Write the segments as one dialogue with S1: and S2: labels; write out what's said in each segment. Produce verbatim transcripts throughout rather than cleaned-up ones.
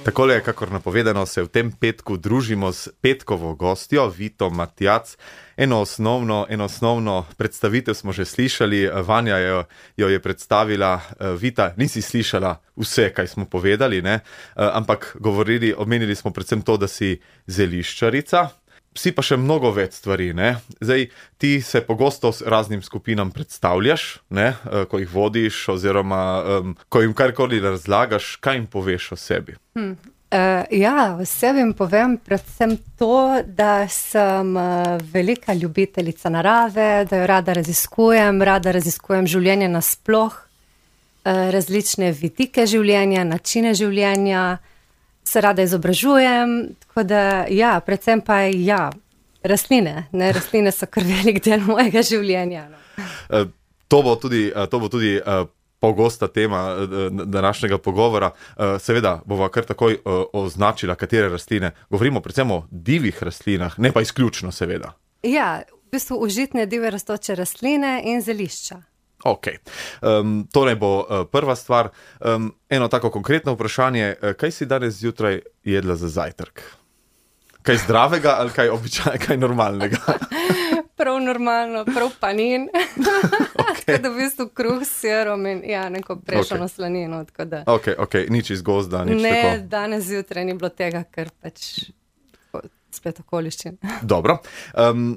S1: Takole, kakor napovedano, se v tem petku družimo s petkovo gostjo, Vito Matjac. Eno osnovno, eno osnovno predstavitev smo že slišali, Vanja jo, jo je predstavila. Vita, nisi slišala vse, kaj smo povedali, ne? Ampak govorili, omenili smo predvsem to, da si zeliščarica. Si pa še mnogo več stvari, ne? Zdaj, ti se pogosto s raznim skupinam predstavljaš, ne? Ko jih vodiš oziroma um, ko jim karkoli razlagaš, kaj jim poveš o sebi?
S2: Hmm. Uh, ja, o sebi jim povem predvsem to, da sem uh, velika ljubiteljica narave, da jo rada raziskujem, rada raziskujem življenje nasploh, uh, različne vidike življenja, načine življenja, se rada izobražujem, tako da ja, predvsem pa ja, rastline, ne, rastline so kar velik del mojega življenja. No.
S1: Uh, to bo tudi, uh, to bo tudi uh, pogosta tema uh, današnjega pogovora. Uh, seveda bova kar takoj uh, označila, katere rastline. Govorimo predvsem o divjih rastlinah, ne pa izključno seveda.
S2: Ja, v bistvu užitne divje rastoče rastline in zelišča.
S1: Ok, um, to naj bo uh, prva stvar. Um, eno tako konkretno vprašanje, uh, kaj si danes zjutraj jedla za zajtrk? Kaj zdravega ali kaj običajnega, kaj normalnega?
S2: Prav normalno, prav panin. Okay. Tako da v bistvu kruh s sirom in ja, neko prešano okay. slanino. Da...
S1: Ok, ok, nič iz gozda, nič
S2: ne,
S1: tako.
S2: Ne, danes zjutraj ni bilo tega, ker pač spet okoliščin.
S1: Dobro. Um,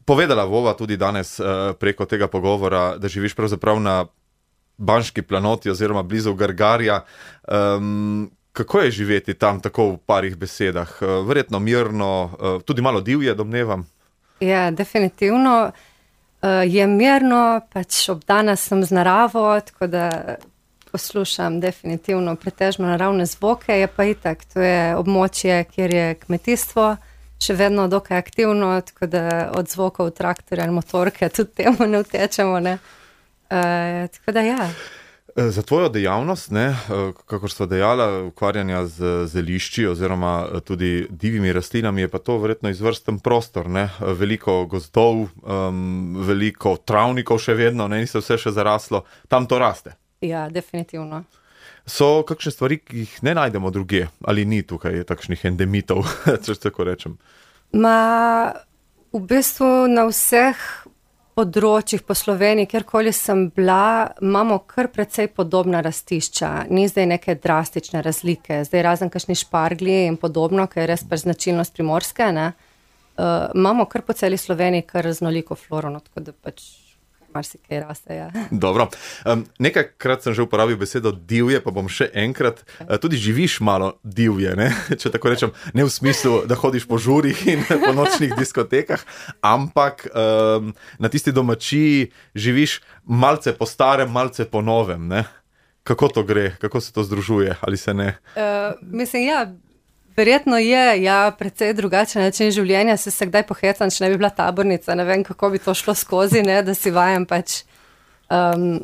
S1: Povedala bova tudi danes uh, preko tega pogovora, da živiš pravzaprav na Banški planoti oziroma blizu Gargarja. Um, kako je živeti tam tako v parih besedah? Uh, verjetno mirno, uh, tudi malo divje, domnevam?
S2: Ja, definitivno uh, je mirno, pač obdana sem z naravo, tako da poslušam definitivno pretežno naravne zvoke, je pa itak, to je območje, kjer je kmetijstvo, še vedno dokaj aktivno, tako da od zvokov traktorja ali motorke tudi temu ne utečemo, ne. Uh, tako da ja.
S1: Za tvojo dejavnost, ne, kakor sva dejala, ukvarjanja z zelišči oziroma tudi divjimi rastlinami, je pa to verjetno izvrsten prostor, ne, veliko gozdov, um, veliko travnikov še vedno, ne, ni se vse še zaraslo, tam to raste.
S2: Ja, definitivno.
S1: So kakšne stvari, ki jih ne najdemo drugje, ali ni tukaj takšnih endemitov, če tako rečem?
S2: Ma, v bistvu na vseh področjih po Sloveniji, kjerkoli sem bila, imamo kar precej podobna rastišča. Ni zdaj neke drastične razlike. Zdaj razen kakšni šparglji in podobno, ker je res pač značilnost primorske, ne. Uh, imamo kar po celi Sloveniji kar raznoliko floro, no, tako da pač marsikaj raste, ja.
S1: Dobro. Um, nekajkrat sem že uporabil besedo divje, pa bom še enkrat. Uh, tudi živiš malo divje, ne? Če tako rečem, ne v smislu, da hodiš po žurih in po nočnih diskotekah, ampak um, na tisti domačiji živiš malce po starem, malce po novem, ne? Kako to gre? Kako se to združuje? Ali se ne?
S2: Uh, mislim, ja, verjetno je, ja, precej drugačen način življenja, se se kdaj pohecam, če ne bi bila tabornica, ne vem, kako bi to šlo skozi, ne, da si vajem pač um,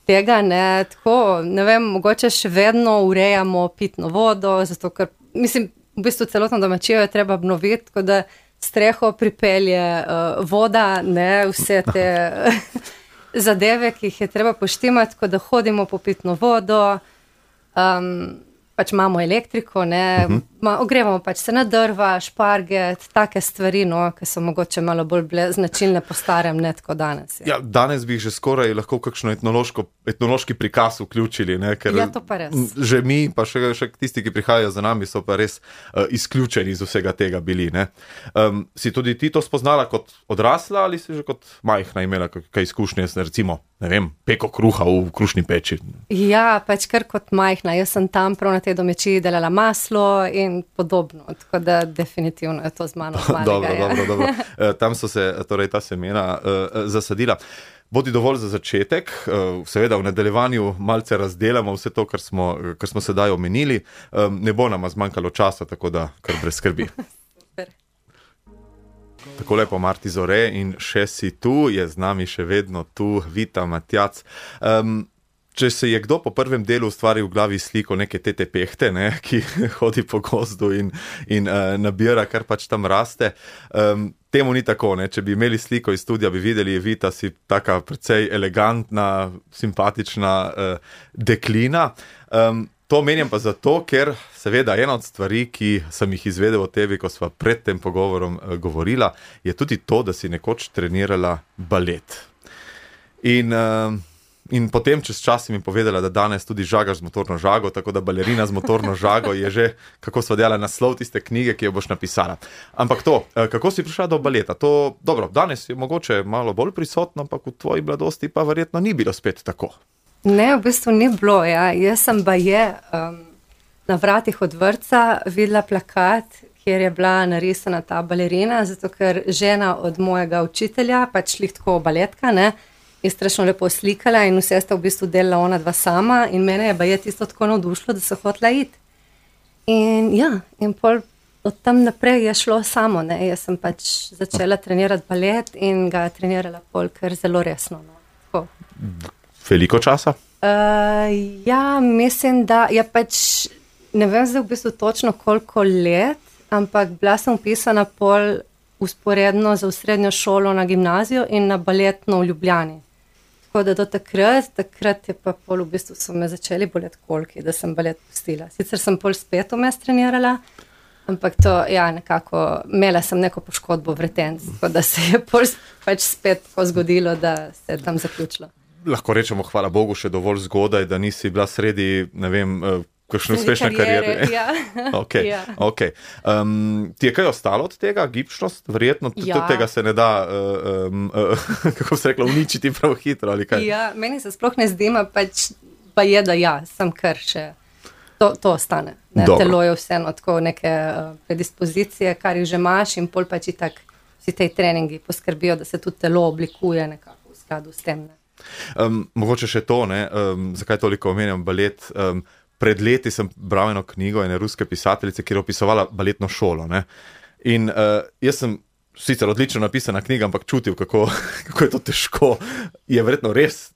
S2: tega, ne, tako, ne vem, mogoče še vedno urejamo pitno vodo, zato ker, mislim, v bistvu celotno domačijo je treba obnoviti, tako da streho pripelje uh, voda, ne, vse te zadeve, ki jih je treba poštimati, tako da hodimo po pitno vodo, um, pač imamo elektriko, ne, uh-huh. Ma, ogrevamo pač se na drva, šparget, take stvari, no, ki so mogoče malo bolj bile značilne po starem, ne tako danes. Ja,
S1: ja danes bi že skoraj lahko kakšno etnološko, etnološki prikaz vključili, ne, ker
S2: ja, to pa res.
S1: Že mi, pa še, še tisti, ki prihajajo za nami, so pa res uh, izključeni iz vsega tega bili, ne. Um, si tudi ti to spoznala kot odrasla ali si že kot majhna imela kaj izkušnje, recimo, ne vem, peko kruha v krušni peči?
S2: Ja, pač kar kot majhna, jaz sem tam prav na tej domačiji delala maslo in podobno, tako da definitivno je to z mano malega.
S1: Dobro,
S2: ja.
S1: dobro, dobro. E, tam so se torej ta semena uh, zasadila. Bodi dovolj za začetek, uh, seveda v nadaljevanju malce razdelamo vse to, kar smo, kar smo sedaj omenili. Um, ne bo nama zmanjkalo časa, tako da kar brez skrbi. Tako lepo Marti Zore in še si tu, je z nami še vedno tu Vita Matjac. Um, Če se je kdo po prvem delu ustvari v glavi sliko neke tete pehte, ne, ki hodi po gozdu in, in uh, nabira, kar pač tam raste, um, temu ni tako, ne. Če bi imeli sliko iz studia, bi videli, Vita, si taka precej elegantna, simpatična uh, deklina. Um, to menjam pa zato, ker seveda ena od stvari, ki sem jih izvedel o tebi, ko sva pred tem pogovorom uh, govorila, je tudi to, da si nekoč trenirala balet. In... Uh, In potem čez čas si mi povedala, da danes tudi žagaš z motorno žago, tako da balerina z motorno žago je že, kako sva dejala, naslov tiste knjige, ki jo boš napisala. Ampak to, kako si prišla do baleta? To, dobro, danes je mogoče malo bolj prisotno, ampak v tvoji mladosti pa verjetno ni bilo spet tako.
S2: Ne, v bistvu ni bilo, ja. Jaz sem baje um, na vratih od vrtca videla plakat, kjer je bila narisana ta balerina, zato ker žena od mojega učitelja, pač lih tako baletka, ne, je strašno lepo slikala in vse sta v bistvu delala ona dva sama in mene je baje tisto tako navdušilo, da so hotela iti. In ja, in pol od tam naprej je šlo samo, ne, jaz sem pač začela trenirati balet in ga trenirala pol kar zelo resno. No.
S1: Veliko časa?
S2: Uh, ja, mislim, da je pač, ne vem zdaj v bistvu točno koliko let, ampak bila sem upisana pol usporedno za srednjo šolo na gimnazijo in na baletno v Ljubljani. Tako da do takrat, takrat je pa pol v bistvu so me začeli boleti kolki, da sem balet pustila. Sicer sem pol spet vmes trenirala, ampak to, ja, nekako, imela sem neko poškodbo vretenc, tako da se je pol pač spet tako zgodilo, da se je tam zaključilo.
S1: Lahko rečemo, hvala Bogu, še dovolj zgodaj, da nisi bila sredi, ne vem, kakšne uspešne karijere.
S2: Ja.
S1: Ok, ja. Ok. Um, ti je kaj ostalo od tega? Gibčnost? Verjetno
S2: ja.
S1: Tega se ne da, uh, um, uh, kako se rekla, uničiti prav hitro ali kaj?
S2: Ja, meni se sploh ne zdima, pač pa je, da ja, sem kar še, to, to ostane. Ne? Telo je vseeno tako neke uh, predispozicije, kar jih že imaš in pol pač itak vsi tej treningi poskrbijo, da se tudi telo oblikuje nekako v skladu s tem. Ne?
S1: Um, mogoče še to, ne? Um, zakaj toliko omenjam balet? Um, Pred leti sem bral eno knjigo ene ruske pisateljice, kjer je opisovala baletno šolo. Ne? In uh, jaz sem sicer odlično napisana knjiga, ampak čutil, kako, kako je to težko. Je verjetno res,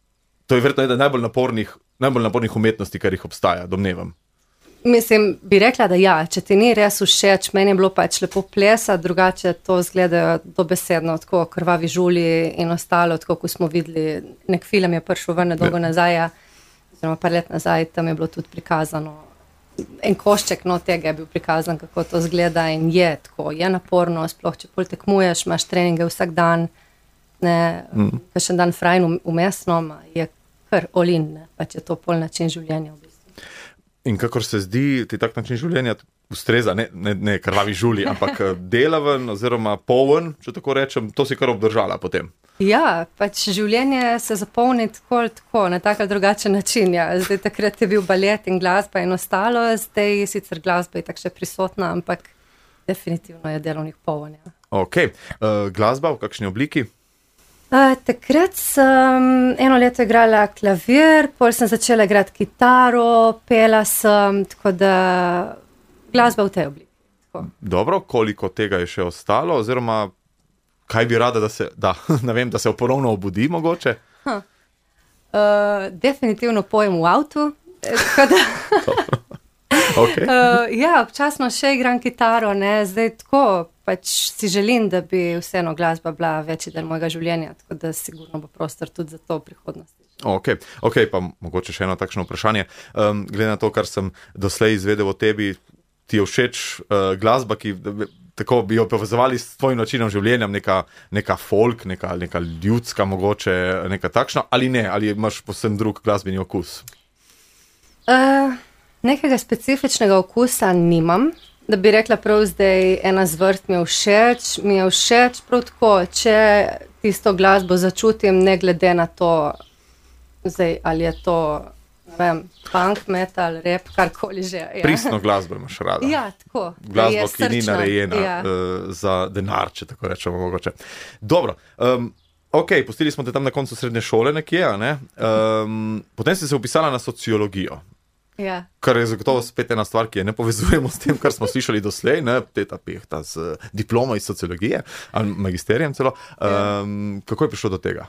S1: to je verjetno ena najbolj napornih, najbolj napornih umetnosti, kar jih obstaja, domnevam.
S2: Mislim, bi rekla, da ja, če ti ni res všeč, meni je bilo pač lepo plesati, drugače to zgleda dobesedno, tako Krvavi žulji in ostalo, tako ko smo videli, nek film je prišel ven dolgo nazaj, oziroma par let nazaj, tam je bilo tudi prikazano, en košček no tega je bil prikazan, kako to zgleda in je tako, je naporno, sploh če pol tekmuješ, imaš treninge vsak dan, ne, mm. kakšen dan frajn umestno, je kar olin, ne, pač je to pol način življenja v bistvu.
S1: In kakor se zdi, ti tak način življenja ustreza, ne, ne, ne krvavi žuli, ampak delaven oziroma poln, če tako rečem, to si kar obdržala potem.
S2: Ja, pač življenje se zapolni tako ali tako, na tak ali drugačen način. Ja. Zdaj takrat je bil balet in glasba in ostalo, zdaj sicer glasba je tak še prisotna, ampak definitivno je delovnih poln. Ja.
S1: Ok, uh, glasba v kakšni obliki?
S2: Uh, takrat sem eno leto igrala klavir, pol sem začela igrati kitaro, pela sem, tako da glasba v tej obliki. Tako.
S1: Dobro, koliko tega je še ostalo, oziroma kaj bi rada, da se, da, ne vem, da se ponovno obudi mogoče? Huh.
S2: Uh, definitivno pojem v avtu. Da,
S1: okay.
S2: uh, ja, občasno še igram kitaro, ne, zdaj tako, pač si želim, da bi vseeno glasba bila večji del mojega življenja, tako da sigurno bo prostor tudi za to v prihodnosti.
S1: Ok, ok, pa mogoče še eno takšno vprašanje. Um, glede na to, kar sem doslej izvedel o tebi, ti je všeč uh, glasba, ki tako bi jo povezovali s tvojim načinom življenja, neka, neka folk, neka, neka ljudska mogoče, neka takšna, ali ne, ali imaš posebno drug glasbeni okus?
S2: Uh, nekega specifičnega okusa nimam, da bi rekla prav zdaj ena zvrst mi je všeč, mi je všeč prav tako, če tisto glasbo začutim, ne glede na to, zdaj, ali je to ne vem, punk, metal, rap, karkoli že. Ja.
S1: Pristno glasbo imaš rada.
S2: Ja, tako.
S1: Glasbo, ki
S2: srčna,
S1: ni narejena
S2: ja.
S1: uh, za denar, če tako rečemo mogoče. Dobro, um, ok, pustili smo te tam na koncu srednje šole nekje, a ne? Um, potem si se upisala na sociologijo.
S2: Ja.
S1: Kar je zagotovo spet ena stvar, ki je ne povezujemo s tem, kar smo slišali doslej, ne, teta pehta z diplomo iz sociologije, ali magisterijem celo. Um, ja. Kako je prišlo do tega?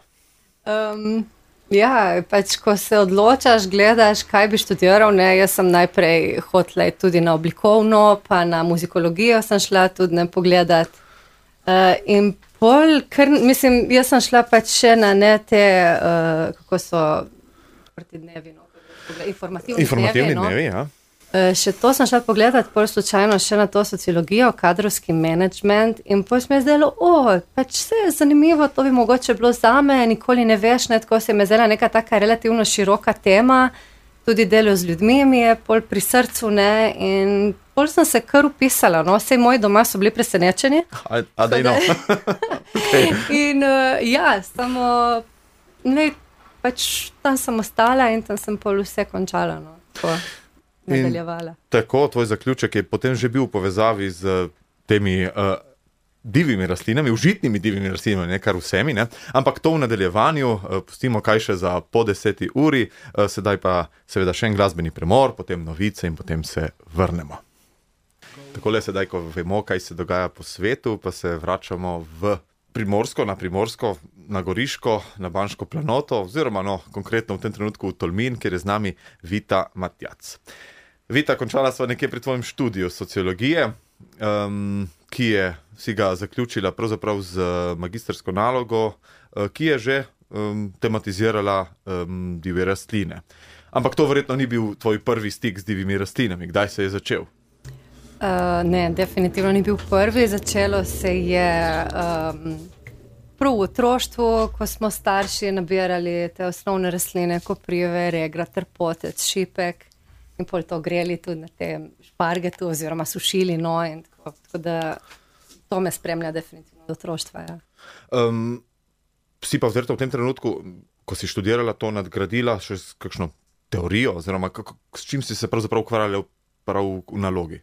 S2: Um, ja, pač ko se odločaš, gledaš, kaj bi študiral, ne, jaz sem najprej hotela tudi na oblikovno, pa na muzikologijo sem šla tudi ne pogledat. Uh, in pol, ker, mislim, jaz sem šla pač še na ne te, uh, kako so proti dnevi, no, informativni,
S1: informativni
S2: dnevi,
S1: dnevi,
S2: no.
S1: ja.
S2: Še to sem šla pogledati, pol slučajno še na to sociologijo, kadrovski management in pol sem je zdelo, o, pač vse je zanimivo, to bi mogoče bilo zame, nikoli ne veš, ne, tako se je me zdela neka taka relativno široka tema, tudi delo z ljudmi mi je pol pri srcu, ne, in pol sem se kar upisala, no, vsej moji doma so bili presenečeni.
S1: A, a daj no. Okay.
S2: In uh, ja, samo, ne, pač tam sem ostala in tam sem pol vse končala, no, tako. Nadaljevala.
S1: Tako, tvoj zaključek je potem že bil v povezavi z temi uh, divjimi rastlinami, užitnimi divjimi rastlinami, ne kar vsemi, ne? Ampak to v nadaljevanju, uh, pustimo kaj še za po deseti uri, uh, sedaj pa seveda še en glasbeni premor, potem novice in potem se vrnemo. Takole sedaj, ko vemo, kaj se dogaja po svetu, pa se vračamo v Primorsko, na Primorsko, na Goriško, na Banško planoto, oziroma no, konkretno v tem trenutku v Tolmin, kjer je z nami Vita Matjac. Vita, končala sva nekje pri tvojem študiju sociologije, um, ki je si ga zaključila pravzaprav z magistersko nalogo, uh, ki je že um, tematizirala um, divje rastline. Ampak to verjetno ni bil tvoj prvi stik z divjimi rastlinami. Kdaj se je začel?
S2: Uh, ne, definitivno ni bil prvi. Začelo se je um, prav v otroštvu, ko smo starši nabirali te osnovne rastline, koprive, regra, trpotec, šipek in pol to greli tudi na te špargetu oziroma sušili, no, in tako, tako da to me spremlja definitivno od otroštva, ja.
S1: Um, si pa verjetno v tem trenutku, ko si študirala to, nadgradila še s kakšno teorijo, oziroma kako, s čim si se pravzaprav ukvarjala prav v, v nalogi?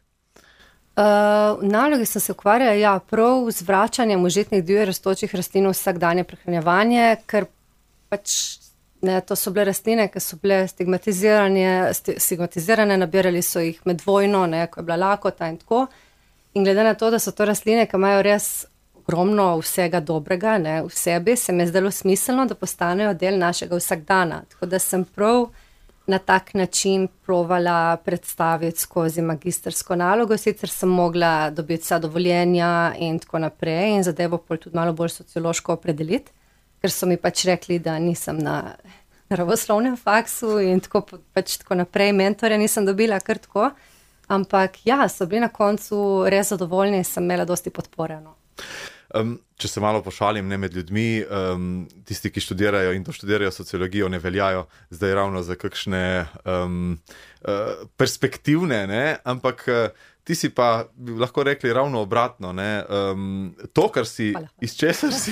S2: Uh, v nalogi sem se ukvarjala, ja, prav z vračanjem užitnih divje rastočih rastlin v vsakdanje prehranjevanje, ker pač ne, to so bile rastline, ki so bile stigmatizirane, stigmatizirane, nabirali so jih med vojno, ne, ko je bila lakota in tako. In glede na to, da so to rastline, ki imajo res ogromno vsega dobrega, ne, v sebi, se mi je zdelo smiselno, da postanejo del našega vsakdana. Tako da sem prav na tak način provala predstaviti skozi magistersko nalogo, sicer sem mogla dobiti vsa dovoljenja in tako naprej in zadevo pol tudi malo bolj sociološko opredeliti, ker so mi pač rekli, da nisem na naravoslovnem faksu in tako, pač tako naprej, mentorja nisem dobila kar tako, ampak ja, so bili na koncu res zadovoljni in sem imela dosti podpore, no.
S1: Um, če se malo pošalim, ne, med ljudmi, um, tisti, ki študirajo in to študirajo sociologijo, ne veljajo zdaj ravno za kakšne um, uh, perspektivne, ne, ampak uh, ti si pa, bi lahko rekli, ravno obratno, ne, um, to, kar si, Hvala. Iz česar si,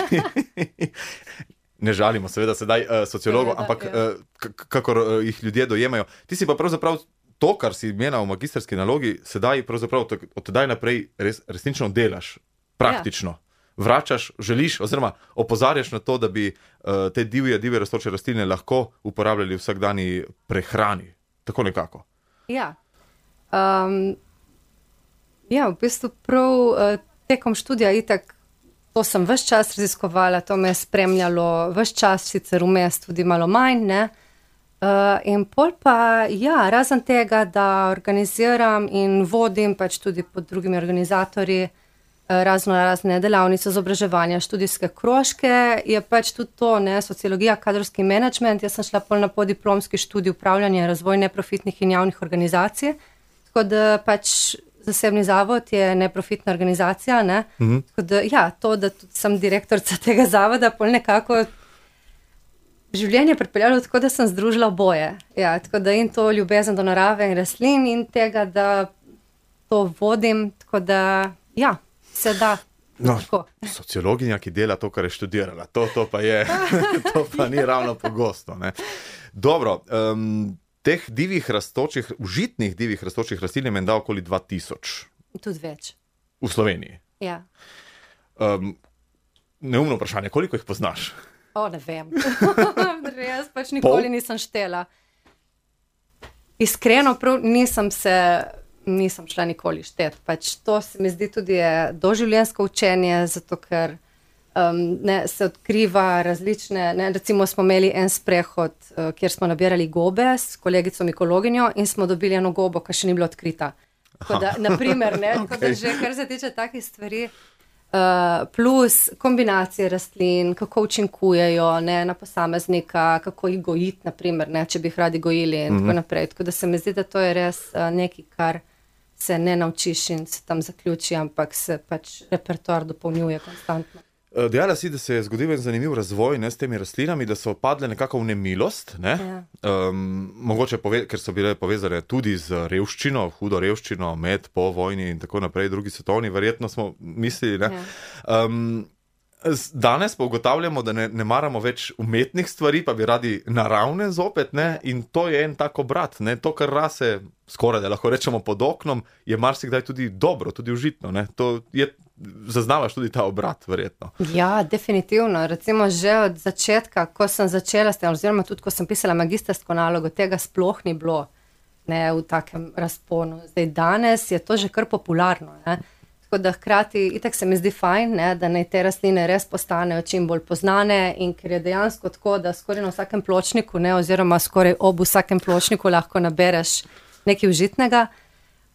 S1: ne žalimo seveda sedaj uh, sociologov, ampak uh, kakor uh, jih ljudje dojemajo, ti si pa pravzaprav to, kar si imela v magisterski nalogi, sedaj pravzaprav od tedaj naprej res, resnično delaš, praktično. Ja. Vračaš, želiš oziroma opozarjaš na to, da bi uh, te divje, divje rastoče rastline lahko uporabljali v vsakdanji prehrani. Tako nekako. Ja.
S2: Um, ja, v bistvu prav uh, tekom študija itak, to sem ves čas raziskovala, to me je spremljalo ves čas, sicer vmes tudi malo manj, ne. Uh, in pol pa, ja, razen tega, da organiziram in vodim pač tudi pod drugimi organizatorji razno razne delavnice, izobraževanja, študijske krožke, je pač tudi to, ne, sociologija, kadrovski management. Jaz sem šla pol na podiplomski študij upravljanja in razvoj neprofitnih in javnih organizacij, tako da pač zasebni zavod je neprofitna organizacija, ne, mhm. Tako da, ja, to, da tudi sem direktorica tega zavoda, pol nekako življenje pripeljalo tako, da sem združila oboje, ja, tako da in to ljubezen do narave in rastlin in tega, da to vodim, tako da, ja, se da.
S1: No, sociologinja, ki dela to, kar je študirala, to, to pa je, to pa ni ravno pogosto, ne. Dobro, um, teh divjih rastočih, užitnih divjih rastočih rastlin je menda okoli dva tisoč.
S2: Tudi več.
S1: V Sloveniji?
S2: Ja.
S1: Um, neumno vprašanje, koliko jih poznaš?
S2: O, ne vem. Jaz pač nikoli Pol? nisem štela. Iskreno, prav nisem se... nisem šla nikoli štet. Pač to se mi zdi tudi je doživljenjsko učenje, zato ker um, ne, se odkriva različne, ne, recimo smo imeli en sprehod, uh, kjer smo nabirali gobe s kolegico mikologinjo in smo dobili eno gobo, ki še ni bila odkrita. Tako da, na primer, ne, okay. Tako da že, kar se tiče takih stvari, Uh, plus kombinacije rastlin, kako učinkujejo ne, na posameznika, kako jih gojiti, naprimer, ne, če bi jih radi gojili in mm-hmm. tako naprej. Tako da se mi zdi, da to je res uh, nekaj, kar se ne naučiš in se tam zaključi, ampak se pač repertoar dopolnjuje konstantno.
S1: Dejala si, da se je zgodil en zanimiv razvoj ne, s temi rastlinami, da so padle nekako v nemilost, ne? Ja. Um, mogoče, pove, ker so bile povezane tudi z revščino, hudo revščino, med, po vojni in tako naprej, drugi svetovni, verjetno smo mislili. Ne? Ja. Um, danes pa ugotavljamo, da ne, ne maramo več umetnih stvari, pa bi radi naravne zopet, ne? In to je en tak obrat. Ne? To, kar rase skoraj, da lahko rečemo pod oknom, je marsikdaj tudi dobro, tudi užitno. Ne? To je zaznavaš tudi ta obrat, verjetno.
S2: Ja, definitivno. Recimo že od začetka, ko sem začela s tem, oziroma tudi, ko sem pisala magistrsko nalogo, tega sploh ni bilo ne, v takem razponu. Zdaj, danes je to že kar popularno. Ne. Tako da hkrati, itak se mi zdi fajn, ne, da naj te rastline res postanejo čim bolj poznane in ker je dejansko tako, da skoraj na vsakem pločniku, ne, oziroma skoraj ob vsakem pločniku lahko nabereš nekaj užitnega.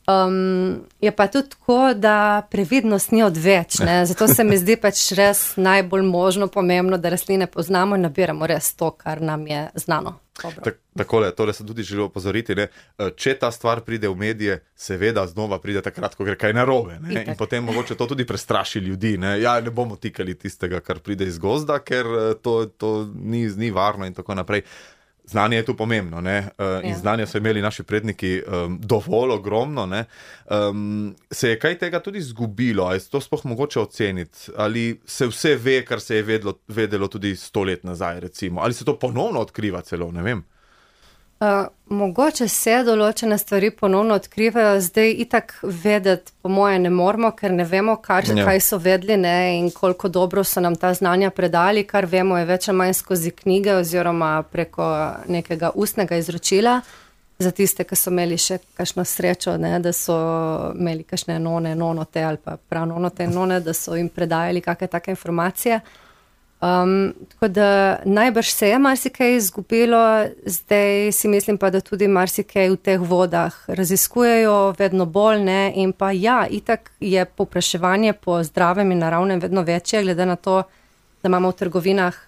S2: Um, je pa tudi tako, da previdnost ni odveč, ne? Zato se mi zdi pač res najbolj možno pomembno, da rastline poznamo in nabiramo res to, kar nam je znano.
S1: Tak, takole, tole sem tudi želel opozoriti, ne? Če ta stvar pride v medije, seveda znova pride takrat, ko gre kaj narobe, ne? In potem mogoče to tudi prestraši ljudi, ne? Ja, ne bomo tikali tistega, kar pride iz gozda, ker to, to ni, ni varno in tako naprej. Znanje je tu pomembno, ne? In ja. Znanje so imeli naši predniki um, dovolj ogromno, ne? Um, se je kaj tega tudi zgubilo, ali je to sploh mogoče oceniti, ali se vse ve, kar se je vedlo, vedelo tudi sto let nazaj, recimo, ali se to ponovno odkriva celo, ne vem.
S2: Uh, mogoče se določene stvari ponovno odkrivajo, zdaj itak vedeti po moje ne moramo, ker ne vemo, kar, ja. Kaj so vedli ne, in koliko dobro so nam ta znanja predali, kar vemo je več ali manj skozi knjige oziroma preko nekega ustnega izročila, za tiste, ki so imeli še kakšno srečo, ne, da so imeli kakšne none, nonote ali pa prav nonote none, da so jim predajali kakšne take informacije. Um, tako da najbrž se je marsikaj izgubilo, zdaj si mislim pa, da tudi marsikaj v teh vodah raziskujejo vedno bolj, ne, in pa ja, itak je povpraševanje po zdravem in naravnem vedno večje, glede na to, da imamo v trgovinah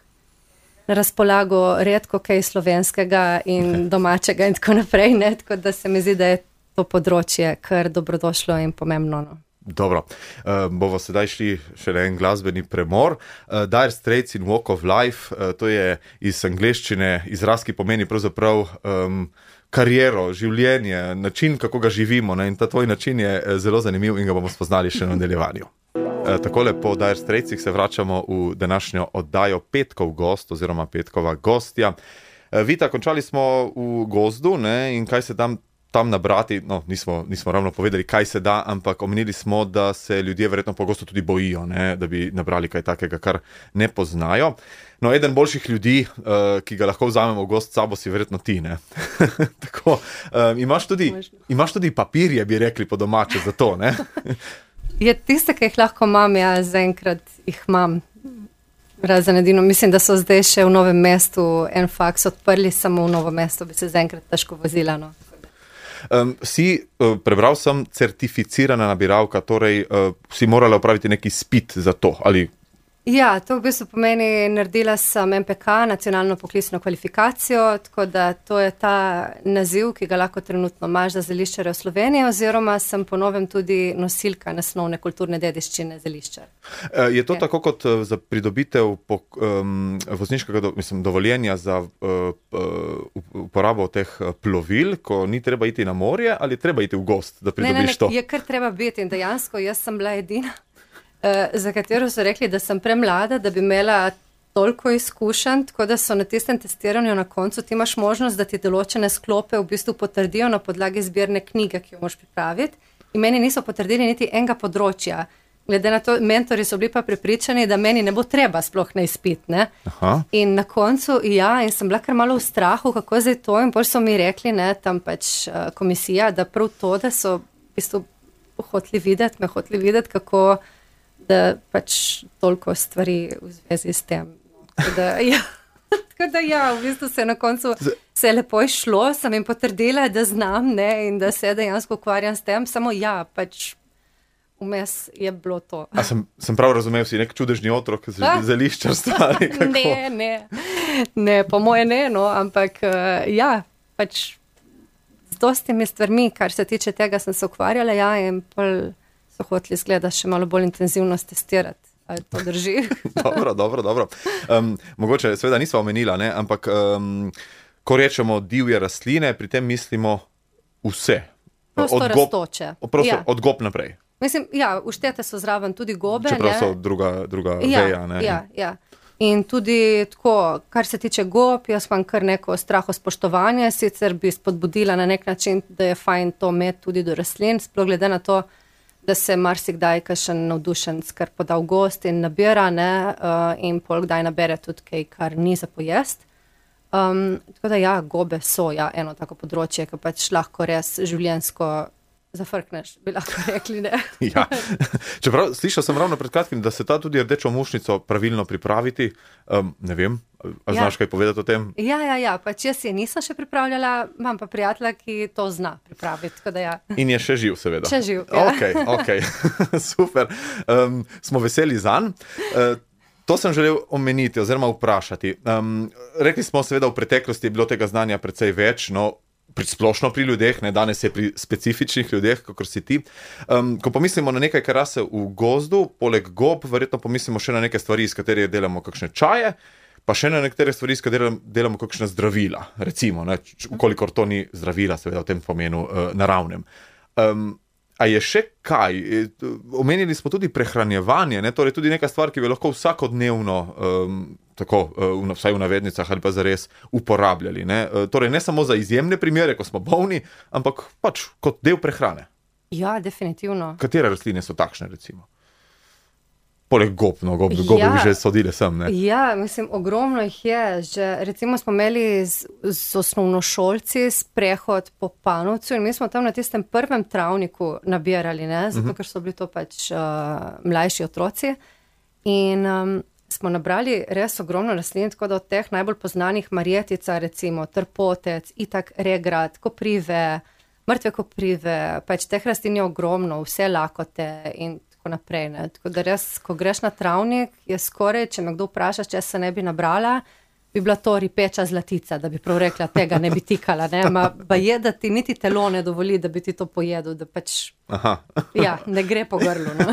S2: na razpolago redko kaj slovenskega in domačega in tako naprej, ne, tako da se mi zdi, da je to področje kar dobrodošlo in pomembno, no.
S1: Dobro, uh, bomo sedaj šli še en glasbeni premor. Uh, Dire Straits in Walk of Life, uh, to je iz angleščine izraz, ki pomeni pravzaprav um, kariero, življenje, način, kako ga živimo, ne? In ta tvoj način je zelo zanimiv in ga bomo spoznali še na nadaljevanju. Uh, takole po Dire Straitsih se vračamo v današnjo oddajo Petkov gost oziroma Petkova gostja. Uh, Vita, končali smo v gozdu, ne? In kaj se tam tam nabrati, no, nismo, nismo ravno povedali, kaj se da, ampak omenili smo, da se ljudje verjetno pogosto tudi bojijo, ne, da bi nabrali kaj takega, kar ne poznajo. No, eden boljših ljudi, uh, ki ga lahko vzamemo v gost s sabo, si verjetno ti, ne. Tako, um, imaš tudi, imaš tudi papirje, bi rekli po domače, za to, ne.
S2: Je tiste, ki jih lahko imam, ja, zaenkrat jih imam. Razen edino, mislim, da so zdaj še v Novem mestu en faks odprli, samo v Novo mesto bi se zaenkrat težko vozila, no.
S1: Um, si, uh, prebral sem, certificirana nabiralka, torej uh, si morala opraviti neki izpit za to, ali?
S2: Ja, to v bistvu pomeni, naredila sem M P K, nacionalno poklicno kvalifikacijo, tako da to je ta naziv, ki ga lahko trenutno imaš za zeliščare v Sloveniji, oziroma sem po novem tudi nosilka nesnovne kulturne dediščine zeliščar.
S1: Uh, je to je. Tako kot uh, za pridobitev po, um, vozniškega do, mislim, dovoljenja za uh, uh, uporabo teh plovil, ko ni treba iti na morje, ali treba iti v gost, da pridobiš
S2: ne, ne, ne,
S1: to?
S2: Je kar treba biti in dejansko jaz sem bila edina. Uh, za katero so rekli, da sem premlada, da bi imela toliko izkušenj, tako da so na tistem testiranju na koncu ti imaš možnost, da ti določene sklope v bistvu potrdijo na podlagi zbirne knjige, ki jo moraš pripraviti. In meni niso potrdili niti enega področja. Glede na to, mentori so bili pa prepričani, da meni ne bo treba sploh na izpit, ne. Aha. In na koncu, ja, in sem bila kar malo v strahu, kako zdaj to, in potem so mi rekli, ne, tam pač uh, komisija, da prav to, da so v bistvu hoteli videti, me hoteli videti, kako da pač toliko stvari v zvezi s tem. Tako da, ja, tako da ja, v bistvu se na koncu se je lepo išlo, sem jim potrdila, da znam, ne, in da se dejansko ukvarjam s tem, samo ja, pač vmes je bilo to.
S1: A sem, sem prav razumel, si nek čudežni otrok z zeliščarstva?
S2: Ne, ne, ne, po moje ne, no, ampak uh, ja, pač z dostimi stvarmi, kar se tiče tega, sem se ukvarjala, ja, in pol so hoteli izgleda še malo bolj intenzivno testirati. Ali to drži?
S1: Dobro, dobro, dobro. Um, mogoče seveda nisva omenila, ne, ampak um, ko rečemo divje rastline, pri tem mislimo vse.
S2: Prostorastoče.
S1: Od, prosto,
S2: ja.
S1: od gob naprej.
S2: Mislim, ja, uštete so zraven tudi gobe.
S1: Čeprav
S2: ne?
S1: so druga, druga
S2: ja,
S1: veja. Ne?
S2: Ja, ja. In tudi tako, kar se tiče gob, jaz imam kar neko strahospoštovanje, sicer bi spodbudila na nek način, da je fajn to imeti tudi do rastlin, sploh glede na to, da se marsikdaj kakšen navdušenc kar poda v gost in nabira, ne, uh, in pol kdaj nabere tudi kaj, kar ni za pojest. Um, tako da ja, gobe so ja, eno tako področje, ki pač lahko res življenjsko zafrkneš, bi lahko rekli, ne.
S1: Ja. Čeprav slišal sem ravno pred kratkim, da se ta tudi rdečo mušnico pravilno pripraviti. Um, ne vem, a znaš ja. kaj povedati o tem?
S2: Ja, ja, ja, pač jaz je nisem še pripravljala, imam pa prijatelja, ki to zna pripraviti, tako da ja.
S1: In je še živ, seveda.
S2: Še živ, ja.
S1: Ok, ok, super. Um, smo veseli zanj. Uh, To sem želel omeniti oziroma vprašati. Um, rekli smo seveda v preteklosti je bilo tega znanja precej več, no, pri splošno pri ljudeh, ne, danes je pri specifičnih ljudeh, kakor si ti. Um, ko pomislimo na nekaj, kar rase v gozdu, poleg gob, verjetno pomislimo še na neke stvari, iz katerih delamo kakšne čaje, pa še na nekatere stvari, iz katerih delamo kakšne zdravila, recimo, ne, ukolikor to ni zdravila, seveda v tem pomenu uh, naravnem. Um, A je še kaj? Omenili smo tudi prehranjevanje, ne? Torej tudi neka stvar, ki bi lahko vsakodnevno, um, tako, uh, vsaj v navednicah ali pa zares, uporabljali. Ne? Uh, torej ne samo za izjemne primere, ko smo bolni, ampak pač kot del prehrane.
S2: Ja, definitivno.
S1: Katere rastline so takšne, recimo? Poleg gob, no, gob, gobe ja, bi že sodile sem, ne?
S2: Ja, mislim, ogromno jih je. Že, recimo smo imeli z, z osnovnošolci sprehod po Panovcu in mi smo tam na tistem prvem travniku nabirali, ne? Zato, uh-huh. ker so bili to pač uh, mlajši otroci. In um, smo nabrali res ogromno rastlin, tako da od teh najbolj poznanih marjetica, recimo trpotec, itak regrat, koprive, mrtve koprive, pač teh rastlin je ogromno, vse lakote in tako naprej. Ne. Tako da res, ko greš na travnik, je skoraj, če me kdo vpraša, če se ne bi nabrala, bi bila to ripeča zlatica, da bi prav rekla, tega ne bi tikala. Ne. Ma, ba je, da ti niti telo ne dovoli, da bi ti to pojedel, da pač
S1: Aha.
S2: ja, ne gre po grlu. No.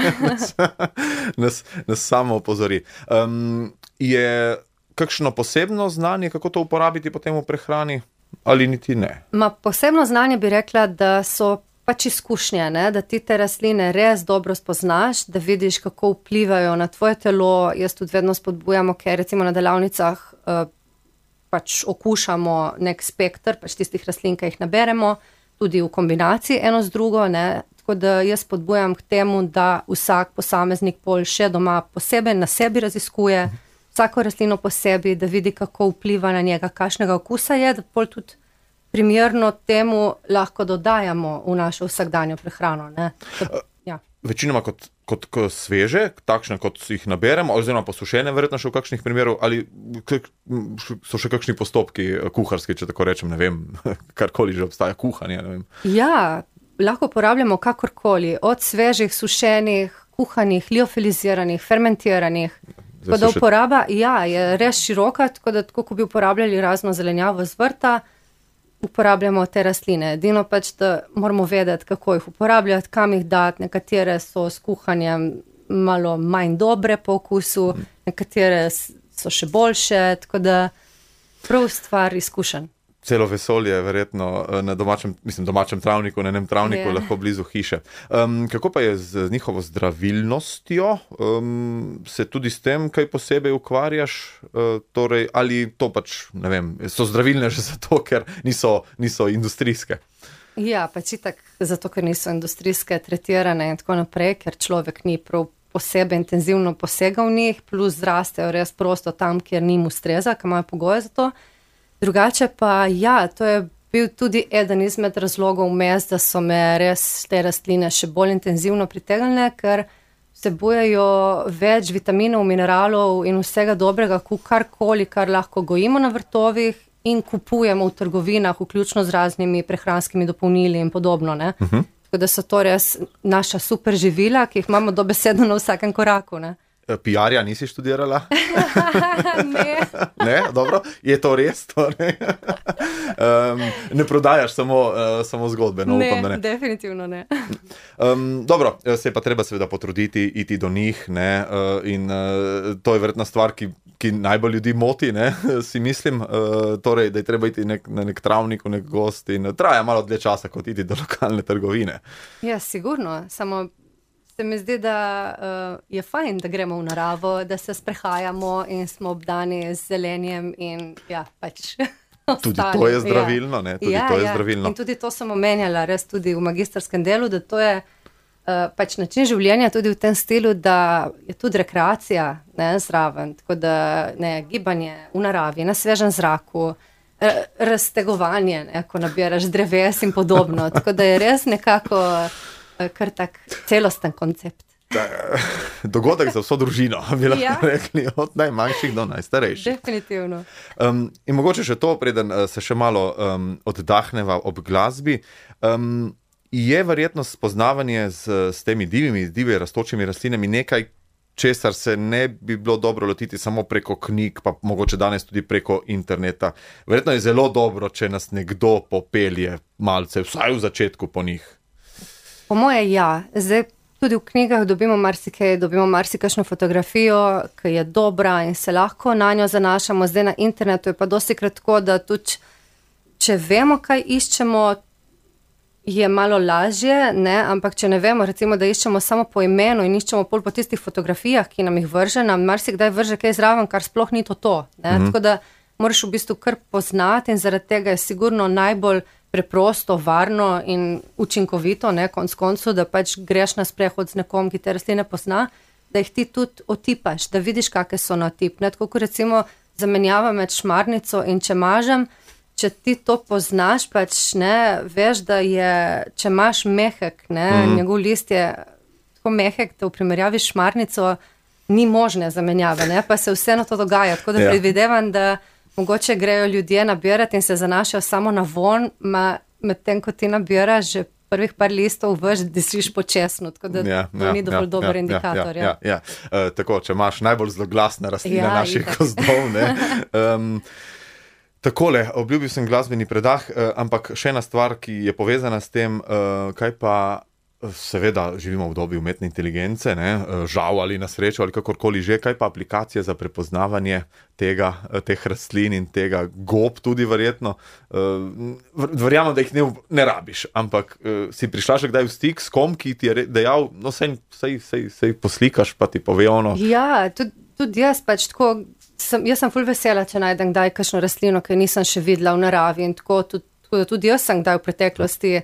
S1: nas, nas samo opozori. Um, je kakšno posebno znanje, kako to uporabiti potem v prehrani, ali niti ne? Ma,
S2: posebno znanje bi rekla, da so pač izkušnje, ne? Da ti te rastline res dobro spoznaš, da vidiš, kako vplivajo na tvoje telo. Jaz tudi vedno spodbujam, ker recimo na delavnicah uh, pač okušamo nek spektr, pač tistih rastlin, ki jih naberemo, tudi v kombinaciji eno z drugo, ne? Tako da jaz spodbujam k temu, da vsak posameznik pol še doma posebej na sebi raziskuje, vsako rastlino posebej, da vidi, kako vpliva na njega, kakšnega okusa je, da pol tudi primerno temu lahko dodajamo v našo vsakdanjo prehrano. Ne? To, ja.
S1: Večinoma kot, kot, kot sveže, takšne, kot jih naberemo, oziroma posušene, verjetno še v kakšnih primerov, ali so še kakšni postopki kuharski, če tako rečem, ne vem, karkoli že obstaja, kuhanje, ne vem.
S2: Ja, lahko uporabljamo kakorkoli, od svežih, sušenih, kuhanih, liofiliziranih, fermentiranih. Tako da uporaba, ja, je res široka, tako da tako, ko bi uporabljali razno zelenjavo z vrta, uporabljamo te rastline. Edino pač, da moramo vedeti, kako jih uporabljati, kam jih dati, nekatere so s kuhanjem malo manj dobre po okusu, nekatere so še boljše, tako da prav stvar izkušenj.
S1: Celo vesolje, verjetno na domačem, mislim, domačem travniku, na enem travniku, lahko blizu hiše. Um, kako pa je z njihovo zdravilnostjo? Um, se tudi s tem kaj posebej ukvarjaš? Uh, torej, ali to pač, ne vem, so zdravilne že zato, ker niso, niso industrijske?
S2: Ja, pač itak zato, ker niso industrijske, tretirane in tako naprej, ker človek ni prav posebej intenzivno posegal v njih, plus zrastejo res prosto tam, kjer njim ustreza, ker imajo pogoje za to. Drugače pa, ja, to je bil tudi eden izmed razlogov vmes, da so me res te rastline še bolj intenzivno pritegnile, ker vsebujejo več vitaminov, mineralov in vsega dobrega, karkoli, kar lahko gojimo na vrtovih in kupujemo v trgovinah, vključno z raznimi prehranskimi dopolnili in podobno. Ne? Uh-huh. Tako da so to res naša super živila, ki jih imamo dobesedno na vsakem koraku, ne.
S1: P R-ja nisi študirala?
S2: Ne.
S1: Ne, dobro, je to res to, ne? Um, ne prodajaš samo, uh, samo zgodbe, no
S2: ne,
S1: upam, da ne.
S2: Definitivno ne.
S1: Um, dobro, se je pa treba seveda potruditi, iti do njih, ne, uh, in uh, to je verjetna stvar, ki, ki najbolj ljudi moti, ne, si mislim, uh, torej, da je treba iti nek, na nek travnik, v nek gost in traja malo dlje časa, kot iti do lokalne trgovine.
S2: Ja, sigurno, samo se mi zdi, da uh, je fajn, da gremo v naravo, da se sprehajamo in smo obdani z zelenjem in ja, pač
S1: tudi to je zdravilno, ne, tudi
S2: ja,
S1: to je
S2: ja.
S1: zdravilno.
S2: In tudi to sem omenjala res tudi v magistrskem delu, da to je uh, pač način življenja tudi v tem stilu, da je tudi rekreacija, ne, zraven, tako da ne, gibanje v naravi, na svežem zraku, raztegovanje, ne, ko nabiraš dreves in podobno, tako da je res nekako kar tak celosten koncept.
S1: Dogodek za vso družino, bi lahko
S2: Ja.
S1: rekli, od najmanjših do najstarejših.
S2: Definitivno.
S1: Um, in mogoče še to, preden uh, se še malo um, oddahneva ob glasbi, um, je verjetno spoznavanje z, s temi divjimi, divje rastočimi rastlinami nekaj, česar se ne bi bilo dobro lotiti samo preko knjig, pa mogoče danes tudi preko interneta. Verjetno je zelo dobro, če nas nekdo popelje malce, vsaj v začetku po njih.
S2: Po moje ja, zdaj tudi v knjigah dobimo marsikaj, dobimo marsikajšno fotografijo, ki je dobra in se lahko na njo zanašamo, zdaj na internetu je pa dosti kratko, da tudi, če vemo, kaj iščemo, je malo lažje, ne, ampak če ne vemo, recimo, da iščemo samo po imenu in iščemo pol po tistih fotografijah, ki nam jih vrže, nam marsikdaj vrže kaj zraven, kar sploh ni to to, ne, mm-hmm. Tako da moraš v bistvu kar poznati in zaradi tega je sigurno najbolj preprosto, varno in učinkovito, ne, konc koncu, da pač greš na sprehod z nekom, ki te rastline pozna, da jih ti tudi otipaš, da vidiš, kakšne so na otip. Ne, tako kot recimo zamenjava med šmarnico in čemažem, če ti to poznaš, pač ne, veš, da je, če imaš mehek, ne, mm. njegov list je tako mehek, da v primerjavi s šmarnico ni možne zamenjave, ne, pa se vseeno to dogaja, tako da ja. predvidevam, da mogoče grejo ljudje nabirati in se zanašajo samo na von, med tem, ko ti nabiraš že prvih par listov, veš, da siš počesno, tako da ja, to ja, ni dovolj ja, dober ja, indikator. Ja,
S1: ja, ja, ja. Uh, tako, če imaš najbolj zloglasna rastlina ja, naših gozdov, ne. Um, takole, obljubil sem glasbeni predah, uh, ampak še ena stvar, ki je povezana s tem, uh, kaj pa seveda živimo v dobi umetne inteligence, ne, žal ali na srečo ali kakorkoli že, kaj pa aplikacije za prepoznavanje tega, teh rastlin in tega gob tudi verjetno. Verjamem, da jih ne, ne rabiš, ampak si prišla še kdaj v stik s kom, ki ti je dejal, no sej, sej, sej, sej poslikaš, pa ti pove ono.
S2: Ja, tudi, tudi jaz pač tako, sem, jaz sem ful vesela, če najdem kdaj kakšno rastlino, ki nisem še videla v naravi in tako, tudi, tako tudi jaz sem kdaj v preteklosti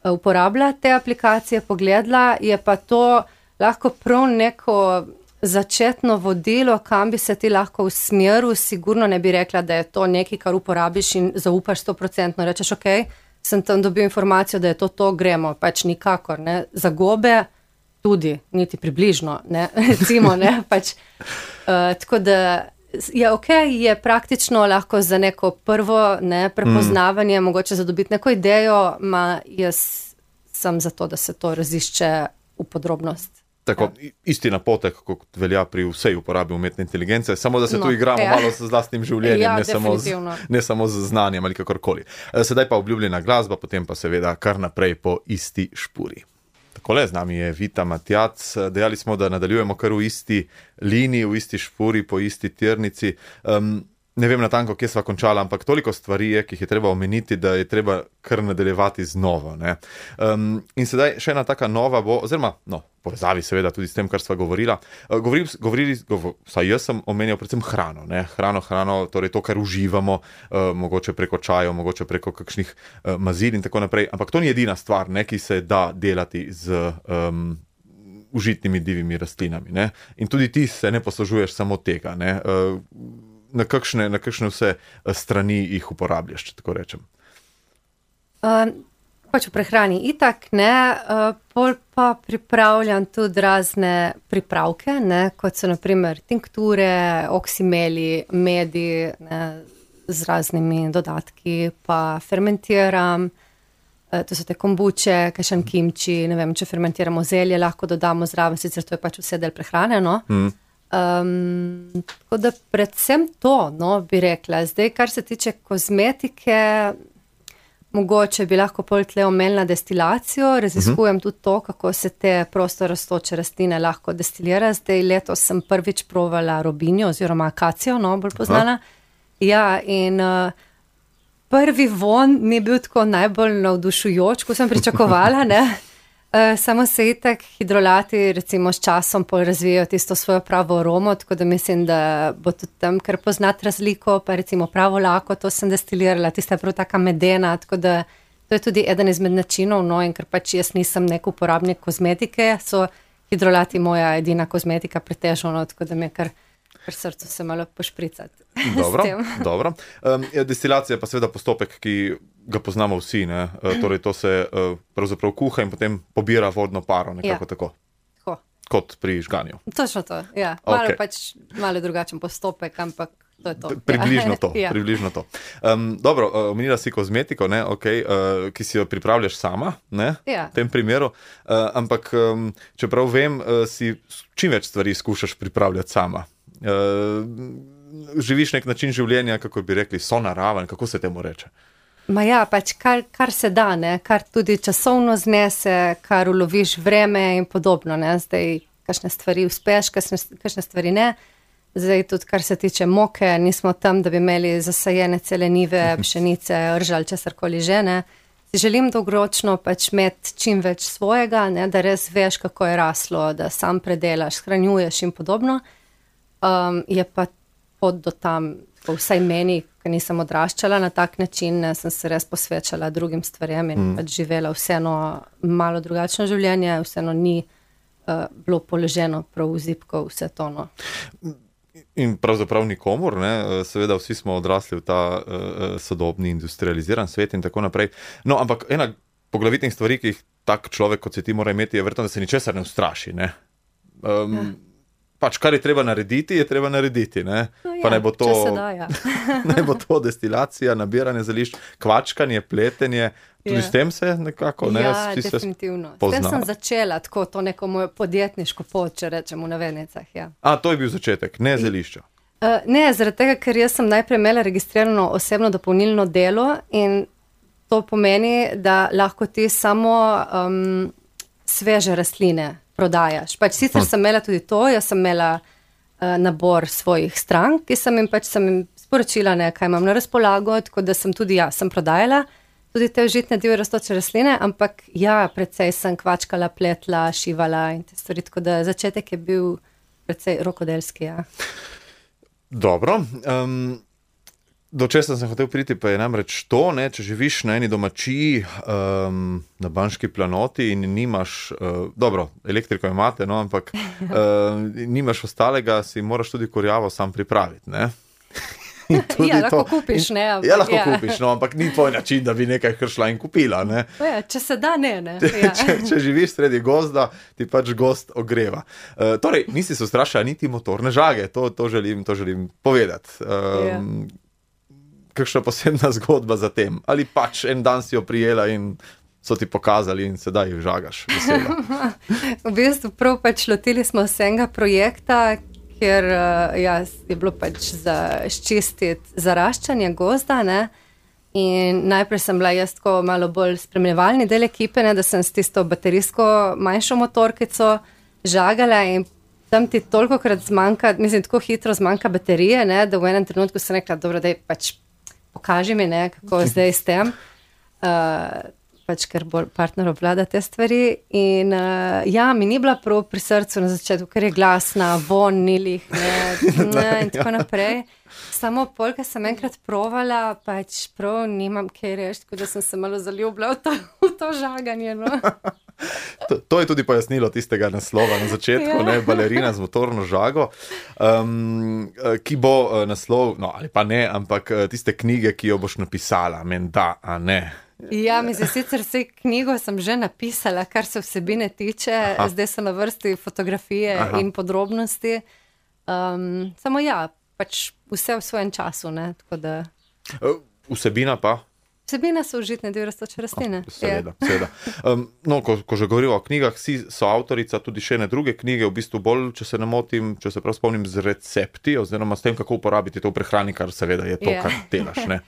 S2: uporablja te aplikacije, pogledala, je pa to lahko prav neko začetno vodilo, kam bi se ti lahko usmeril, sigurno ne bi rekla, da je to nekaj, kar uporabiš in zaupaš sto procentno, rečeš, ok, sem tam dobil informacijo, da je to to, gremo, pač nikakor, ne, za gobe tudi, niti približno, ne, recimo, ne, pač, uh, tako da je ok, je praktično lahko za neko prvo ne, prepoznavanje, mm. mogoče zadobiti neko idejo, ma jaz sem za to, da se to razišče v podrobnost.
S1: Tako, ja. Isti napotek, kot velja pri vsej uporabi umetne inteligence, samo da se no, tu igramo ja. malo s vlastnim življenjem,
S2: ja,
S1: ne, samo z, ne samo z znanjem ali kakorkoli. Sedaj pa obljubljena glasba, potem pa seveda kar naprej po isti špuri. Takole, z nami je Vita Matjac, dejali smo, da nadaljujemo kar v isti liniji, v isti špuri, po isti tirnici. Um, ne vem natanko, kje sva končala, ampak toliko stvari je, ki jih je treba omeniti, da je treba kar nadaljevati z novo. Ne? Um, in sedaj še ena taka nova bo, oziroma, no, povezavi seveda tudi s tem, kar sva govorila. Uh, govorili, govorili govor, saj jaz sem omenjal predvsem hrano, ne? Hrano, hrano, torej to, kar uživamo, uh, mogoče preko čajev, mogoče preko kakšnih uh, mazil in tako naprej, ampak to ni edina stvar, ne, ki se da delati z um, užitnimi divjimi rastlinami. Ne? In tudi ti se ne poslužuješ samo tega, ne? Uh, Na kakšne, na kakšne vse strani jih uporabljaš, če tako rečem?
S2: Uh, pač v prehrani itak, ne, uh, pol pa pripravljam tudi razne pripravke, ne, kot so naprimer tinkture, oksimeli, medi, ne, z raznimi dodatki, pa fermentiram. to so te kombuče, kakšen kimči, ne vem, če fermentiramo zelje, lahko dodamo zraven, sicer to je pač vse del prehrane, no. Mm. Um, tako da predvsem to, no, bi rekla. Zdaj, kar se tiče kozmetike, mogoče bi lahko pol tle omenila destilacijo, raziskujem uh-huh. tudi to, kako se te prosto rastoče rastline lahko destilira. Zdaj letos sem prvič provala robinjo oziroma akacijo, no, bolj poznana. Uh-huh. Ja, in uh, prvi von ni bil tako najbolj navdušujoč, ko sem pričakovala, ne. Uh, samo se itak hidrolati recimo s časom pol razvijajo tisto svojo pravo aromo, tako da mislim, da bo tudi tam kar poznati razliko, pa recimo pravo lako, to sem destilirala, tista je prav taka medena, tako da to je tudi eden izmed načinov, no, in ker pač jaz nisem nek uporabnik kozmetike, so hidrolati moja edina kozmetika pretežno, no, tako da mi je kar, kar srcu se malo pošpricati.
S1: Dobro, dobro. Um, destilacija je pa seveda postopek, ki ga poznamo vsi, ne? Uh, torej to se uh, pravzaprav kuha in potem pobira vodno paro, nekako ja. tako.
S2: Tako.
S1: Kot pri žganju.
S2: Točno to, ja. Malo
S1: Okay.
S2: pač, malo drugačen postopek, ampak to je to.
S1: Približno to,
S2: ja.
S1: približno to. Um, dobro, uh, omenila si kozmetiko, ne, okay, uh, ki si jo pripravljaš sama, ne,
S2: ja.
S1: v tem primeru, uh, ampak um, čeprav vem, uh, si čim več stvari skušaš pripravljati sama. Uh, živiš nek način življenja, kako bi rekli, sonaraven, kako se temu reče?
S2: Ma ja, pač kar, kar se da, ne, kar tudi časovno znese, kar uloviš vreme in podobno, ne, zdaj kakšne stvari uspeš, kakšne, kakšne stvari ne. Zdaj tudi, kar se tiče moke, nismo tam, da bi imeli zasajene cele nive, pšenice, ržal, česarkoli že, ne. Si želim dolgoročno pač imeti čim več svojega, ne, da res veš, kako je raslo, da sam predelaš, shranjuješ in podobno. Um, je pa pot do tam, vsaj meni, ker nisem odraščala na tak način, ne, sem se res posvečala drugim stvarem in mm. pač živela vseeno malo drugačno življenje, vseeno ni uh, bilo položeno prav v zipko vse to, no.
S1: In pravzaprav nikomur, ne, seveda vsi smo odrasli v ta uh, sodobni industrializiran svet in tako naprej. No, ampak ena poglavitnih stvari, ki jih tak človek, kot se ti mora imeti, je verjetno, da se ničesar ne ustraši, ne. Um, ja. Pač, kar je treba narediti, je treba narediti, ne?
S2: No ja,
S1: pa ne bo to,
S2: da, ja.
S1: ne bo to destilacija, nabiranje zelišč, kvačkanje, pletenje, tudi
S2: ja.
S1: s tem se nekako, ne?
S2: Ja, definitivno. S tem sem začela, tako to neko mojo podjetniško pot, če rečem v navednicah, ja.
S1: A, to je bil začetek, ne zelišča?
S2: Uh, ne, zaradi tega, ker jaz sem najprej imela registrirano osebno dopolnilno delo in to pomeni, da lahko ti samo um, sveže rastline prodajaš. Pač sicer sem imela tudi to, jaz sem imela uh, nabor svojih strank, ki sem jim pač sem jim sporočila, ne, kaj imam na razpolago, tako da sem tudi ja, sem prodajala tudi te užitne divje rastoče rastline, ampak ja, precej sem kvačkala, pletla, šivala in te stvari, tako da začetek je bil precej rokodelski, ja.
S1: Dobro, um, do česa sem hotel priti, pa je namreč to, ne, če živiš na eni domačiji um, na Banški planoti in nimaš, uh, dobro, elektriko imate, no, ampak uh, nimaš ostalega, si moraš tudi kurjavo sam pripraviti, ne.
S2: Ja, lahko to, kupiš, ne.
S1: Ampak, ja, lahko ja. kupiš, no, ampak ni tvoj način, da bi nekaj šla in kupila, ne.
S2: Ja, če se da, ne, ne. Ja.
S1: če, če živiš sredi gozda, ti pač gozd ogreva. Uh, torej, nisi se ustrašila niti motorne žage, to, to, želim, to želim povedati. Um, ja. Kakšna posebna zgodba za tem? Ali pač en dan si jo prijela in so ti pokazali in sedaj jih žagaš vesela?
S2: V bistvu prav pač lotili smo se enega projekta, ker ja, je bilo pač za ščistiti zaraščanje gozda, ne? In najprej sem bila jaz tako malo bolj spremljevalni del ekipe, ne? Da sem s tisto baterijsko manjšo motorkico žagala in tam ti tolikokrat zmanjka, mislim, tako hitro zmanjka baterije, ne? Da v enem trenutku sem rekla, dobro, daj pač pokaži mi, ne, kako zdaj s tem, uh, pač ker bolj partner obvlada te stvari in uh, ja, mi ni bila prav pri srcu na začetku, ker je glasna, von, nilih, ne, ne, in tako naprej. Samo polka sem enkrat provala, pač prav nimam kaj reči, tako da sem se malo zaljubila v to, v to žaganje, no.
S1: To, to je tudi pojasnilo tistega naslova na začetku, ja. ne, balerina z motorno žago, um, ki bo naslov, no ali pa ne, ampak tiste knjige, ki jo boš napisala, menda, a ne.
S2: Ja, mislim, sicer vse knjigo sem že napisala, kar se vsebine tiče, Aha. zdaj so na vrsti fotografije Aha. in podrobnosti, um, samo ja, pač vse v svojem času, ne, tako da.
S1: Vsebina pa?
S2: Vsebina so užitne del rastoče rastline.
S1: Oh, seveda, seveda. Um, no, ko, ko že govorimo o knjigah, si so avtorica tudi še ene druge knjige, v bistvu bolj, če se ne motim, če se prav spomnim, z recepti, oziroma s tem, kako uporabiti to v prehrani, kar seveda je to, yeah. kar delaš, ne?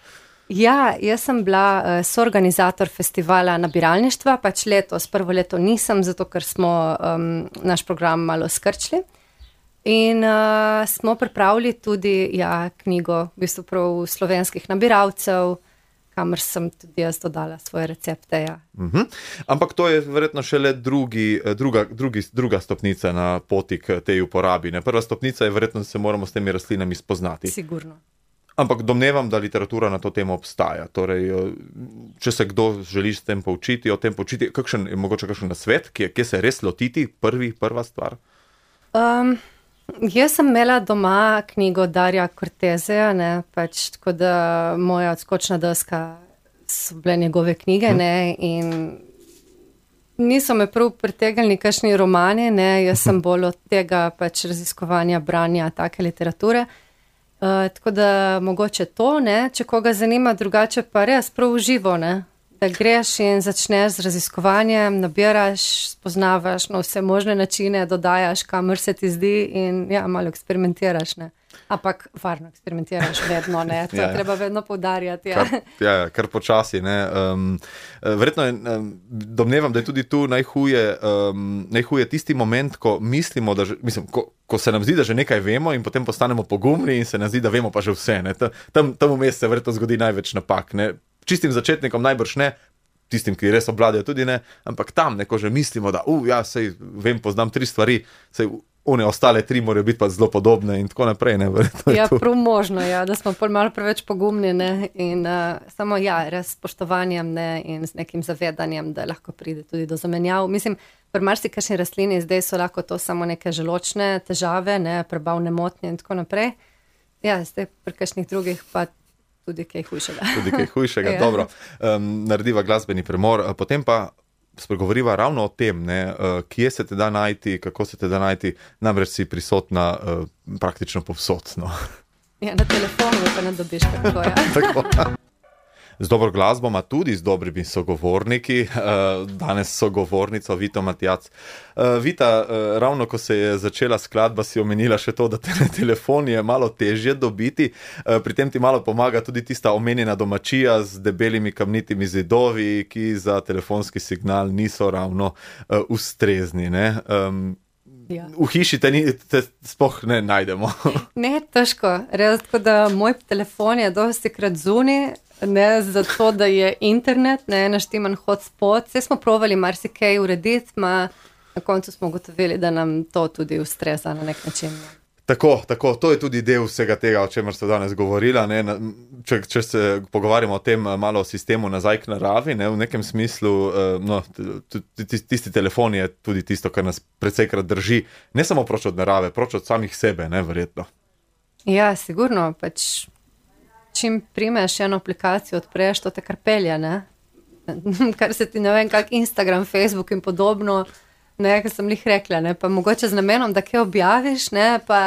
S2: Ja, jaz sem bila uh, soorganizator festivala nabiralništva, pač letos, prvo leto nisem, zato ker smo um, naš program malo skrčili. In uh, smo pripravili tudi ja, knjigo v bistvu prav slovenskih nabiralcev, kamor sem tudi jaz dodala svoje recepte. Ja.
S1: Uh-huh. Ampak to je verjetno šele drugi, druga, drugi, druga stopnica na poti k tej uporabi. Ne? Prva stopnica je verjetno, da se moramo s temi rastlinami spoznati.
S2: Sigurno.
S1: Ampak domnevam, da literatura na to temo obstaja. Torej, če se kdo želi s tem poučiti, o tem poučiti, kakšen, je mogoče kakšen nasvet, kje, kje se res lotiti, prvi, prva stvar?
S2: Um, jaz sem imela doma knjigo Darja Corteseja, ne, pač tako da moja odskočna deska so bile njegove knjige, hm. ne, in niso me prav pritegnili kakšni romani, ne, jaz sem bolj od tega pač raziskovanja, branja take literature. Uh, tako da mogoče to, ne, če koga zanima, drugače pa res prav uživo, ne, da greš in začneš z raziskovanjem, nabiraš, spoznavaš na vse možne načine, dodajaš, kamor se ti zdi in ja, malo eksperimentiraš, ne. Ampak varno eksperimentiraš vedno, ne, to ja, ja. treba vedno poudarjati. Ja,
S1: kar, ja, kar počasi, ne. Um, verjetno je, um, domnevam, da je tudi tu najhuje, um, najhuje tisti moment, ko mislimo, da že, mislim, ko, ko se nam zdi, da že nekaj vemo in potem postanemo pogumni in se nam zdi, da vemo pa že vse, ne. Tam, tam vmes se verjetno zgodi največ napak, ne. Čistim začetnikom najbrž ne, tistim, ki res obvladajo tudi ne, ampak tam neko že mislimo, da uh, ja, sej vem, poznam tri stvari, sej one ostale tri morajo biti pa zelo podobne in tako naprej, ne, verjetno je
S2: ja,
S1: to.
S2: Prav možno, ja, da smo pol malo preveč pogumni, ne, in uh, samo ja, res s spoštovanjem, ne, in z nekim zavedanjem, da lahko pride tudi do zamenjav. Mislim, pri marsikakšni rastlini zdaj so lahko to samo neke želočne težave, ne, prebavne motnje in tako naprej. Ja, zdaj pri kakšnih drugih pa tudi kaj hujšega.
S1: Tudi kaj hujšega,
S2: ja.
S1: Dobro. Um, narediva glasbeni premor, potem pa spregovoriva ravno o tem, ne, uh, kje se te da najti, kako se te da najti, namreč si prisotna uh, praktično povsod. No.
S2: Ja, na telefonu pa ne dobiš kako, ja.
S1: Tako. Z dobro glasbo, ma tudi z dobrimi sogovorniki, danes sogovornico Vito Matjac. Vita, ravno ko se je začela skladba, si omenila še to, da te na telefon je malo težje dobiti, pri tem ti malo pomaga tudi tista omenjena domačija z debelimi kamnitimi zidovi, ki za telefonski signal niso ravno ustrezni, ne? Ja. V hiši te, ni, te spoh ne najdemo.
S2: Ne, težko. Res, tako da moj telefon je dosti krat zunaj, ne zato, da je internet, ne naštiman hotspot. Vse smo provali marsikaj urediti, ma na koncu smo ugotovili, da nam to tudi ustreza na nek način.
S1: Tako, tako, to je tudi del vsega tega, o čemer ste danes govorila, ne, če, če se pogovarjamo o tem malo o sistemu nazaj k naravi, ne, v nekem smislu, no, tisti telefon je tudi tisto, kar nas precejkrat drži, ne samo proč od narave, proč od samih sebe, ne, verjetno.
S2: Ja, sigurno, pač čim primeš eno aplikacijo, odpreš, to te kar pelja, ne, kar se ti ne vem, kak Instagram, Facebook in podobno, ne, kar sem lih rekla, ne, pa mogoče z namenom, da kaj objaviš, ne, pa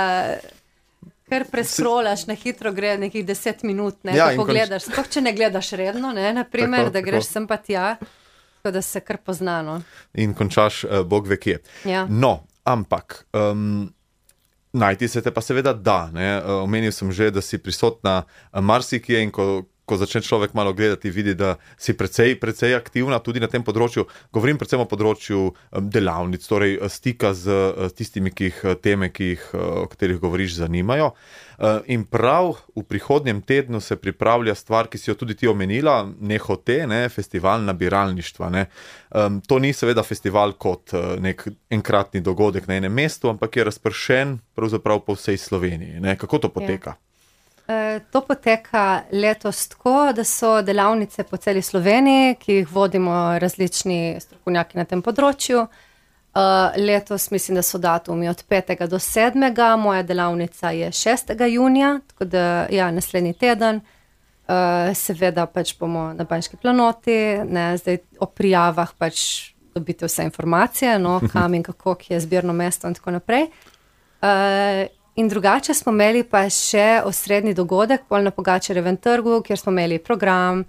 S2: kar preskrolaš, na hitro gre nekih deset minut, ne, ja, pa pogledaš, sploh če ne gledaš redno, ne, naprimer, tako, da greš tako. Sem pa tja, tako da se kar poznano.
S1: In končaš, uh, Bog ve kje.
S2: Ja.
S1: No, ampak, um, najti se te pa seveda da, ne, uh, omenil sem že, da si prisotna marsikje in ko ko začne človek malo gledati, vidi, da si precej, precej aktivna tudi na tem področju. Govorim predvsem o področju delavnic, torej stika z tistimi, ki jih teme, ki jih, o katerih govoriš, zanimajo. In prav v prihodnjem tednu se pripravlja stvar, ki si jo tudi ti omenila, Nehote, ne, festival nabiralništva. Ne. To ni seveda festival kot nek enkratni dogodek na enem mestu, ampak je razpršen pravzaprav po vsej Sloveniji. Ne. Kako to poteka?
S2: Ja. To poteka letos tako, da so delavnice po celi Sloveniji, ki jih vodimo različni strokovnjaki na tem področju. Letos mislim, da so datumi od petega do sedmega, moja delavnica je šestega junija, tako da ja, naslednji teden. Seveda pač bomo na Banjški planoti, ne, zdaj o prijavah pač dobite vse informacije, no, kam in kako, ki je zbirno mesto in tako naprej. In drugače smo imeli pa še osrednji dogodek pol na Pogačarjevem trgu, kjer smo imeli program,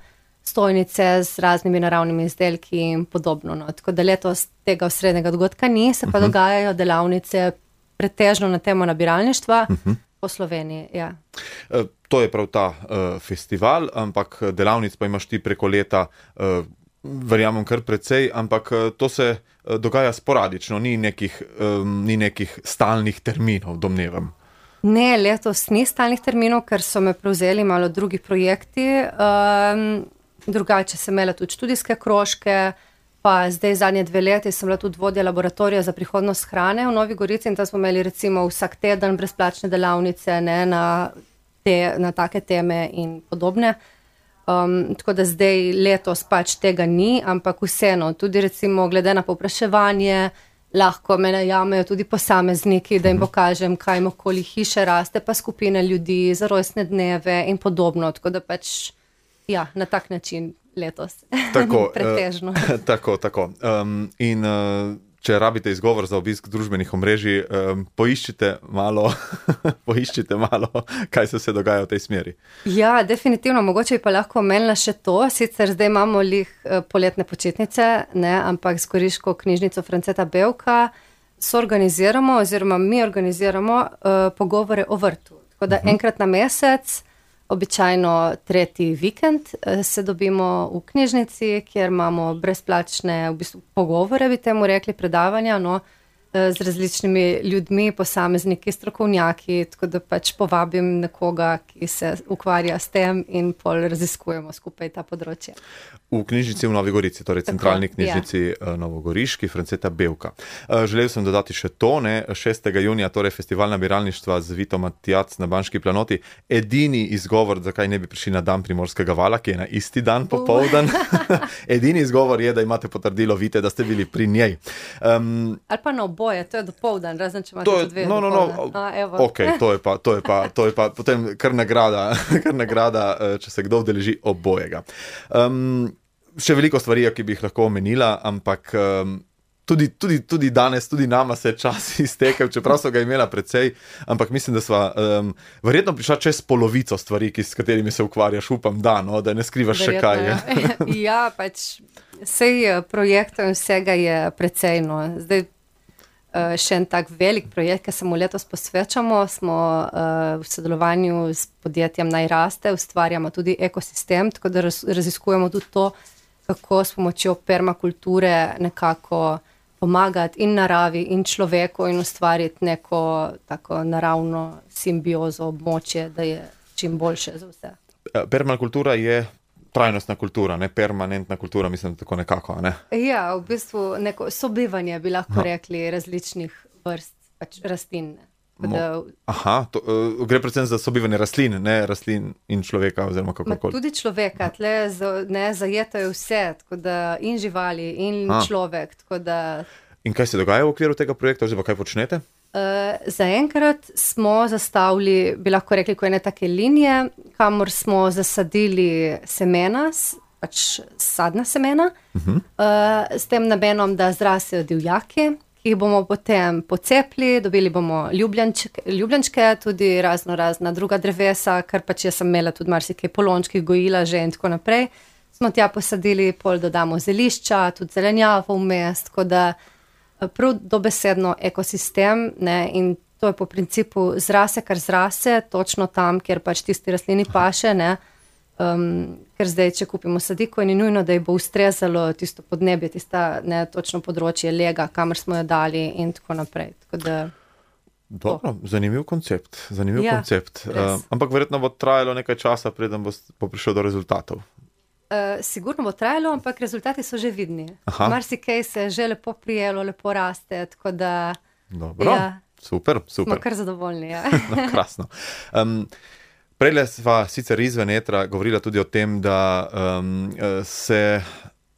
S2: stojnice z raznimi naravnimi izdelki in podobno. No. Tako da letos tega osrednjega dogodka ni, se pa uh-huh. dogajajo delavnice pretežno na temo nabiralništva uh-huh. po Sloveniji. Ja.
S1: E, to je prav ta uh, festival, ampak delavnic pa imaš ti preko leta, uh, verjamem kar precej, ampak uh, to se uh, dogaja sporadično, ni nekih, um, ni nekih stalnih terminov, domnevam.
S2: Ne, letos ni stalnih terminov, ker so me prevzeli malo drugi projekti. Um, drugače sem imela tudi študijske krožke, pa zdaj zadnje dve leti sem bila tudi vodja laboratorija za prihodnost hrane v Novi Gorici in tam smo imeli recimo vsak teden brezplačne delavnice, ne, na, te, na take teme in podobne. Um, tako da zdaj letos pač tega ni, ampak vseeno, tudi recimo glede na povpraševanje, lahko me najamejo tudi posamezniki, da jim pokažem, kaj jim okoli hiše raste, pa skupine ljudi za rojstne dneve in podobno. Tako da pač, ja, na tak način letos.
S1: Tako,
S2: pretežno.
S1: Uh, tako, tako. Um, in uh, če rabite izgovor za obisk družbenih omrežij, um, poiščite malo, poiščite malo, kaj se se dogaja v tej smeri.
S2: Ja, definitivno. Mogoče bi pa lahko omenila še to. Sicer zdaj imamo lih uh, poletne počitnice, ne, ampak s Goriško knjižnico Franceta Bevka soorganiziramo oziroma mi organiziramo uh, pogovore o vrtu. Tako da uh-huh. enkrat na mesec, običajno tretji vikend, se dobimo v knjižnici, kjer imamo brezplačne v bistvu pogovore, bi temu rekli, predavanja, no, z različnimi ljudmi, posamezniki, strokovnjaki, tako da pač povabim nekoga, ki se ukvarja s tem in pol raziskujemo skupaj ta področje.
S1: V knjižnici v Novi Gorici, torej centralni knjižnici ja. Novogoriški, Franceta Bevka. Želel sem dodati še to, ne, šestega junija, torej festival nabiralništva z Vitom Matjac na Banški planoti. Edini izgovor, zakaj ne bi prišli na dan Primorskega vala, ki je na isti dan popoldan. Edini izgovor je, da imate potrdilo Vite, da ste bili pri njej. Um,
S2: Ali pa na oboje, to je dopoldan, razen če imate tudi dve
S1: no, no, no,
S2: A,
S1: ok, to je pa, to je pa, to je pa potem kar nagrada, kar nagrada, če se kdo vdeleži obojega. Um, še veliko stvari, ki bi jih lahko omenila, ampak um, tudi, tudi, tudi danes, tudi nama se je čas iztekel, čeprav so ga imela precej, ampak mislim, da sva um, verjetno prišla čez polovico stvari, ki, s katerimi se ukvarjaš, upam, da, no, da ne skrivaš verjetno, še kaj.
S2: Ja, ja pač vsej projektov in vsega je precej, no. Zdaj še en tak velik projekt, ki se mu letos posvečamo, smo uh, v sodelovanju s podjetjem Naj raste, ustvarjamo tudi ekosistem, tako da raz, raziskujemo tudi to, kako s pomočjo permakulture nekako pomagati in naravi in človeku in ustvariti neko tako naravno simbiozo območje, da je čim boljše za vse.
S1: Permakultura je trajnostna kultura, ne permanentna kultura, mislim, da tako nekako, ne?
S2: Ja, v bistvu neko sobivanje bi lahko no. rekli različnih vrst pač rastlin. Da...
S1: Aha, to, uh, gre predvsem za sobivanje rastlin, ne rastlin in človeka oziroma kakorkoli.
S2: Tudi človeka, tle ne zajetajo vse, tako da in živali in A. človek, tako da...
S1: In kaj se dogaja v okviru tega projekta, oziroma kaj počnete?
S2: Uh, zaenkrat smo zastavili, bi lahko rekli, ko ene take linije, kamor smo zasadili semena, pač sadna semena, uh-huh. uh, s tem namenom, da zrasejo divjaki, ki jih bomo potem pocepli, dobili bomo ljubljančke, ljubljančke, tudi razno razna druga drevesa, kar pač jaz sem imela tudi marsikaj polončkih, gojila že in tako naprej. Smo tja posadili, pol dodamo zelišča, tudi zelenjavo vmes, tako da prav dobesedno ekosistem, ne, in to je po principu zrase, kar zrase, točno tam, kjer pač tisti rastlini paše, ne, um, ker zdaj, če kupimo sadiko, ni nujno, da ji bo ustrezalo tisto podnebje, tista, ne, točno področje lega, kamor smo jo dali in tako naprej. Tako da,
S1: dobro, to. zanimiv koncept, zanimiv
S2: ja,
S1: koncept. Uh, ampak verjetno bo trajalo nekaj časa, preden bo, bo prišel do rezultatov.
S2: Uh, sigurno bo trajalo, ampak rezultati so že vidni. Marsikaj se je že lepo prijelo, lepo raste, tako da...
S1: Dobro, ja, super, super.
S2: Smo kar zadovoljni, ja.
S1: No, krasno. Um, Prejle sva sicer izven etra govorila tudi o tem, da um, se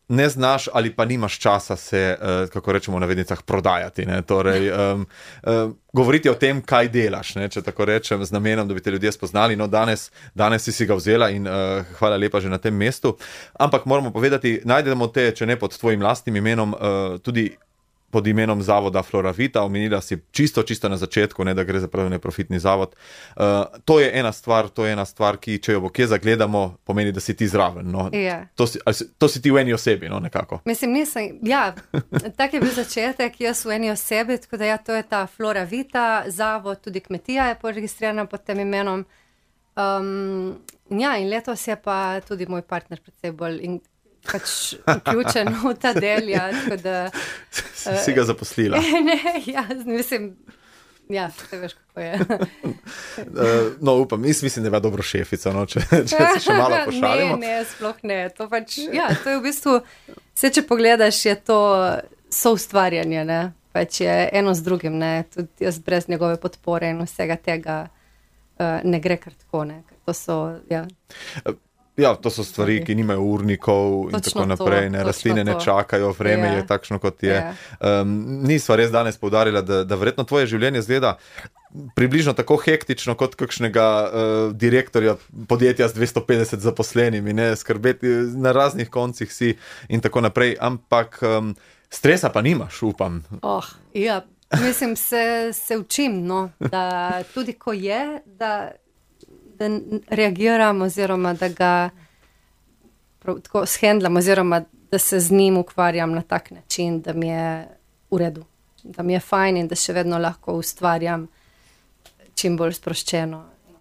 S1: ne znaš ali pa nimaš časa se, uh, kako rečemo v navednicah, prodajati. Ne? Torej, um, uh, govoriti o tem, kaj delaš, ne? Če tako rečem, z namenom, da bi te ljudje spoznali. No, danes, danes si si ga vzela in uh, hvala lepa že na tem mestu. Ampak moramo povedati, najdemo te, če ne pod tvojim lastnim imenom, uh, tudi pod imenom zavoda Floravita, omenila si čisto, čisto na začetku, ne, da gre za prav neprofitni zavod. Uh, to je ena stvar, to je ena stvar, ki, če jo bo kje zagledamo, pomeni, da si ti zraven. No.
S2: Yeah.
S1: To, si, to si ti v eni osebi, no, nekako.
S2: Mislim, nisem, ja, tak je bil začetek, jaz v eni osebi, tako da ja, to je ta Floravita, zavod, tudi kmetija je poregistrirana pod tem imenom. Um, ja, in letos je pa tudi moj partner predvsej bolj in pač vključen v ta del, ja, tako da...
S1: Uh, si ga zaposlila.
S2: Ne, ja, mislim, ja, te veš, kako je.
S1: uh, no, upam, mislim, da je dobro šefica, no, če, če se še malo pošalimo.
S2: Ne, ne, sploh ne, to pač, ja, to je v bistvu, vse, če pogledaš, je to soustvarjanje, ne, pač je eno z drugim, ne, tudi jaz brez njegove podpore in vsega tega uh, ne gre kar tako, ne, to so, ja. Uh,
S1: Ja, to so stvari, ki nimajo urnikov in tako naprej, ne, rastline ne čakajo, vreme je, je takšno, kot je. je. Um, nisva res danes poudarila, da, da verjetno tvoje življenje zgleda približno tako hektično kot kakšnega uh, direktorja podjetja z dvesto petdeset zaposlenimi, ne, skrbeti na raznih koncih si in tako naprej, ampak um, stresa pa nimaš, upam.
S2: Oh, ja, mislim, se, se učim, no, da tudi ko je, da da reagiram oziroma da ga prav, tako shendlam oziroma da se z njim ukvarjam na tak način, da mi je v redu, da mi je fajn in da še vedno lahko ustvarjam čim bolj sproščeno in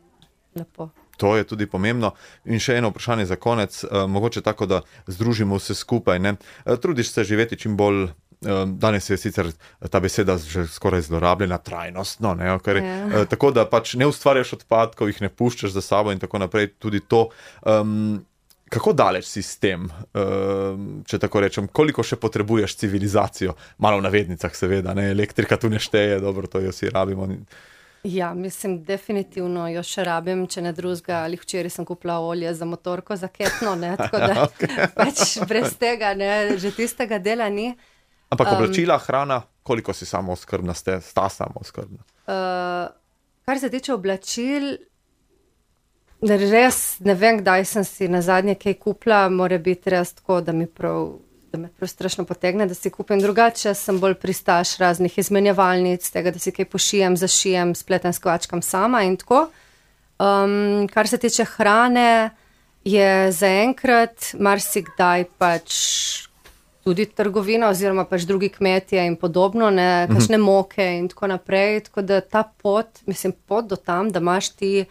S2: lepo.
S1: To je tudi pomembno. In še eno vprašanje za konec, uh, mogoče tako, da združimo vse skupaj, ne? Uh, trudiš se živeti čim bolj. Danes je sicer ta beseda že skoraj zlorabljena, trajnostno, ne, ker, yeah. tako da pač ne ustvarjaš odpadkov, jih ne puščaš za sabo in tako naprej, tudi to. Um, kako daleč si s tem, um, če tako rečem, koliko še potrebuješ civilizacijo? Malo v navednicah seveda, ne, elektrika tu ne šteje, dobro, to jo si rabimo.
S2: Ja, mislim, definitivno jo še rabim, če ne drugega, ali včeraj sem kupila olje za motorko, za ketno, ne, tako da okay. pač brez tega, ne, že tistega dela ni.
S1: Ampak oblačila, um, hrana, koliko si samooskrbna, ste, sta samooskrbna?
S2: Uh, kar se tiče oblačil, res ne vem, kdaj sem si na zadnje kaj kupila, mora biti res tako, da mi prav, da me prav strašno potegne, da si kupim drugače, sem bolj pristaš raznih izmenjevalnic, tega, da si kaj pošijem, zašijem, spletem s kvačkam sama in tako. Um, kar se tiče hrane, je zaenkrat marsikdaj pač tudi trgovina oziroma pač drugi kmetje in podobno, ne, kakšne moke in tako naprej, tako da ta pot, mislim, pot do tam, da imaš ti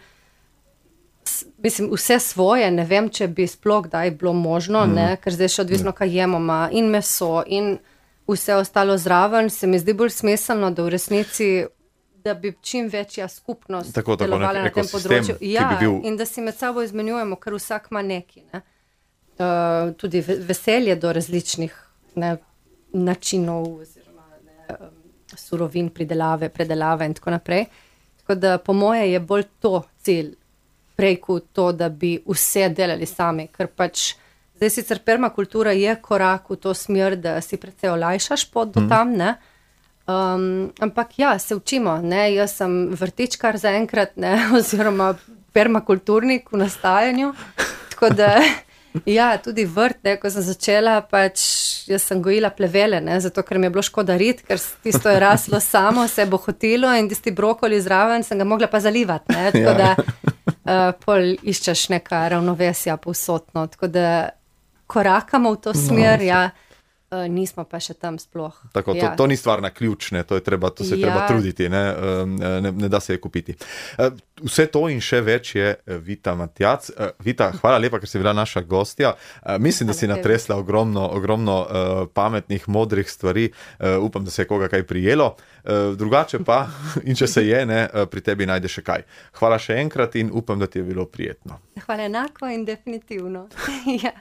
S2: mislim, vse svoje, ne vem, če bi sploh kdaj bilo možno, mm. ne, ker zdaj še odvisno, kaj jemo, ma, in meso in vse ostalo zraven, se mi zdi bolj smiselno, da v resnici, da bi čim večja skupnost
S1: tako, tako,
S2: delovala na tem področju. Ja,
S1: bi bil...
S2: in da si med sabo izmenjujemo, ker vsak ima neki, ne. Uh, tudi veselje do različnih ne, načinov oziroma ne, um, surovin pridelave, predelave in tako naprej. Tako da po moje je bolj to cilj, prej kot to, da bi vse delali sami, ker pač zdaj sicer permakultura je korak v to smer, da si precej olajšaš pot do tam, ne. Um, ampak ja, se učimo, ne, jaz sem vrtičkar zaenkrat, ne, oziroma permakulturnik v nastajanju, tako da ja, tudi vrt, ne, ko sem začela, pač jaz sem gojila plevele, ne, zato ker mi je bilo škoda rit, ker tisto je raslo samo, se je bohotilo in tisti brokoli zraven sem ga mogla pa zalivati, ne, tako da uh, pol iščeš neka ravnovesja povsotno, tako da korakamo v to smer, no, ja, uh, nismo pa še tam sploh.
S1: Tako,
S2: ja.
S1: to, to ni stvar na ključne, to, je treba, to se je ja. treba truditi, ne, ne, ne da se je kupiti. Vse to in še več je Vita Matjac. Vita, hvala lepa, ker si bila naša gostja. Mislim, da si natresla ogromno, ogromno uh, pametnih, modrih stvari. Uh, upam, da se je koga kaj prijelo. Uh, drugače pa, in če se je, ne, pri tebi najde še kaj. Hvala še enkrat in upam, da ti je bilo prijetno.
S2: Hvala enako in definitivno. ja.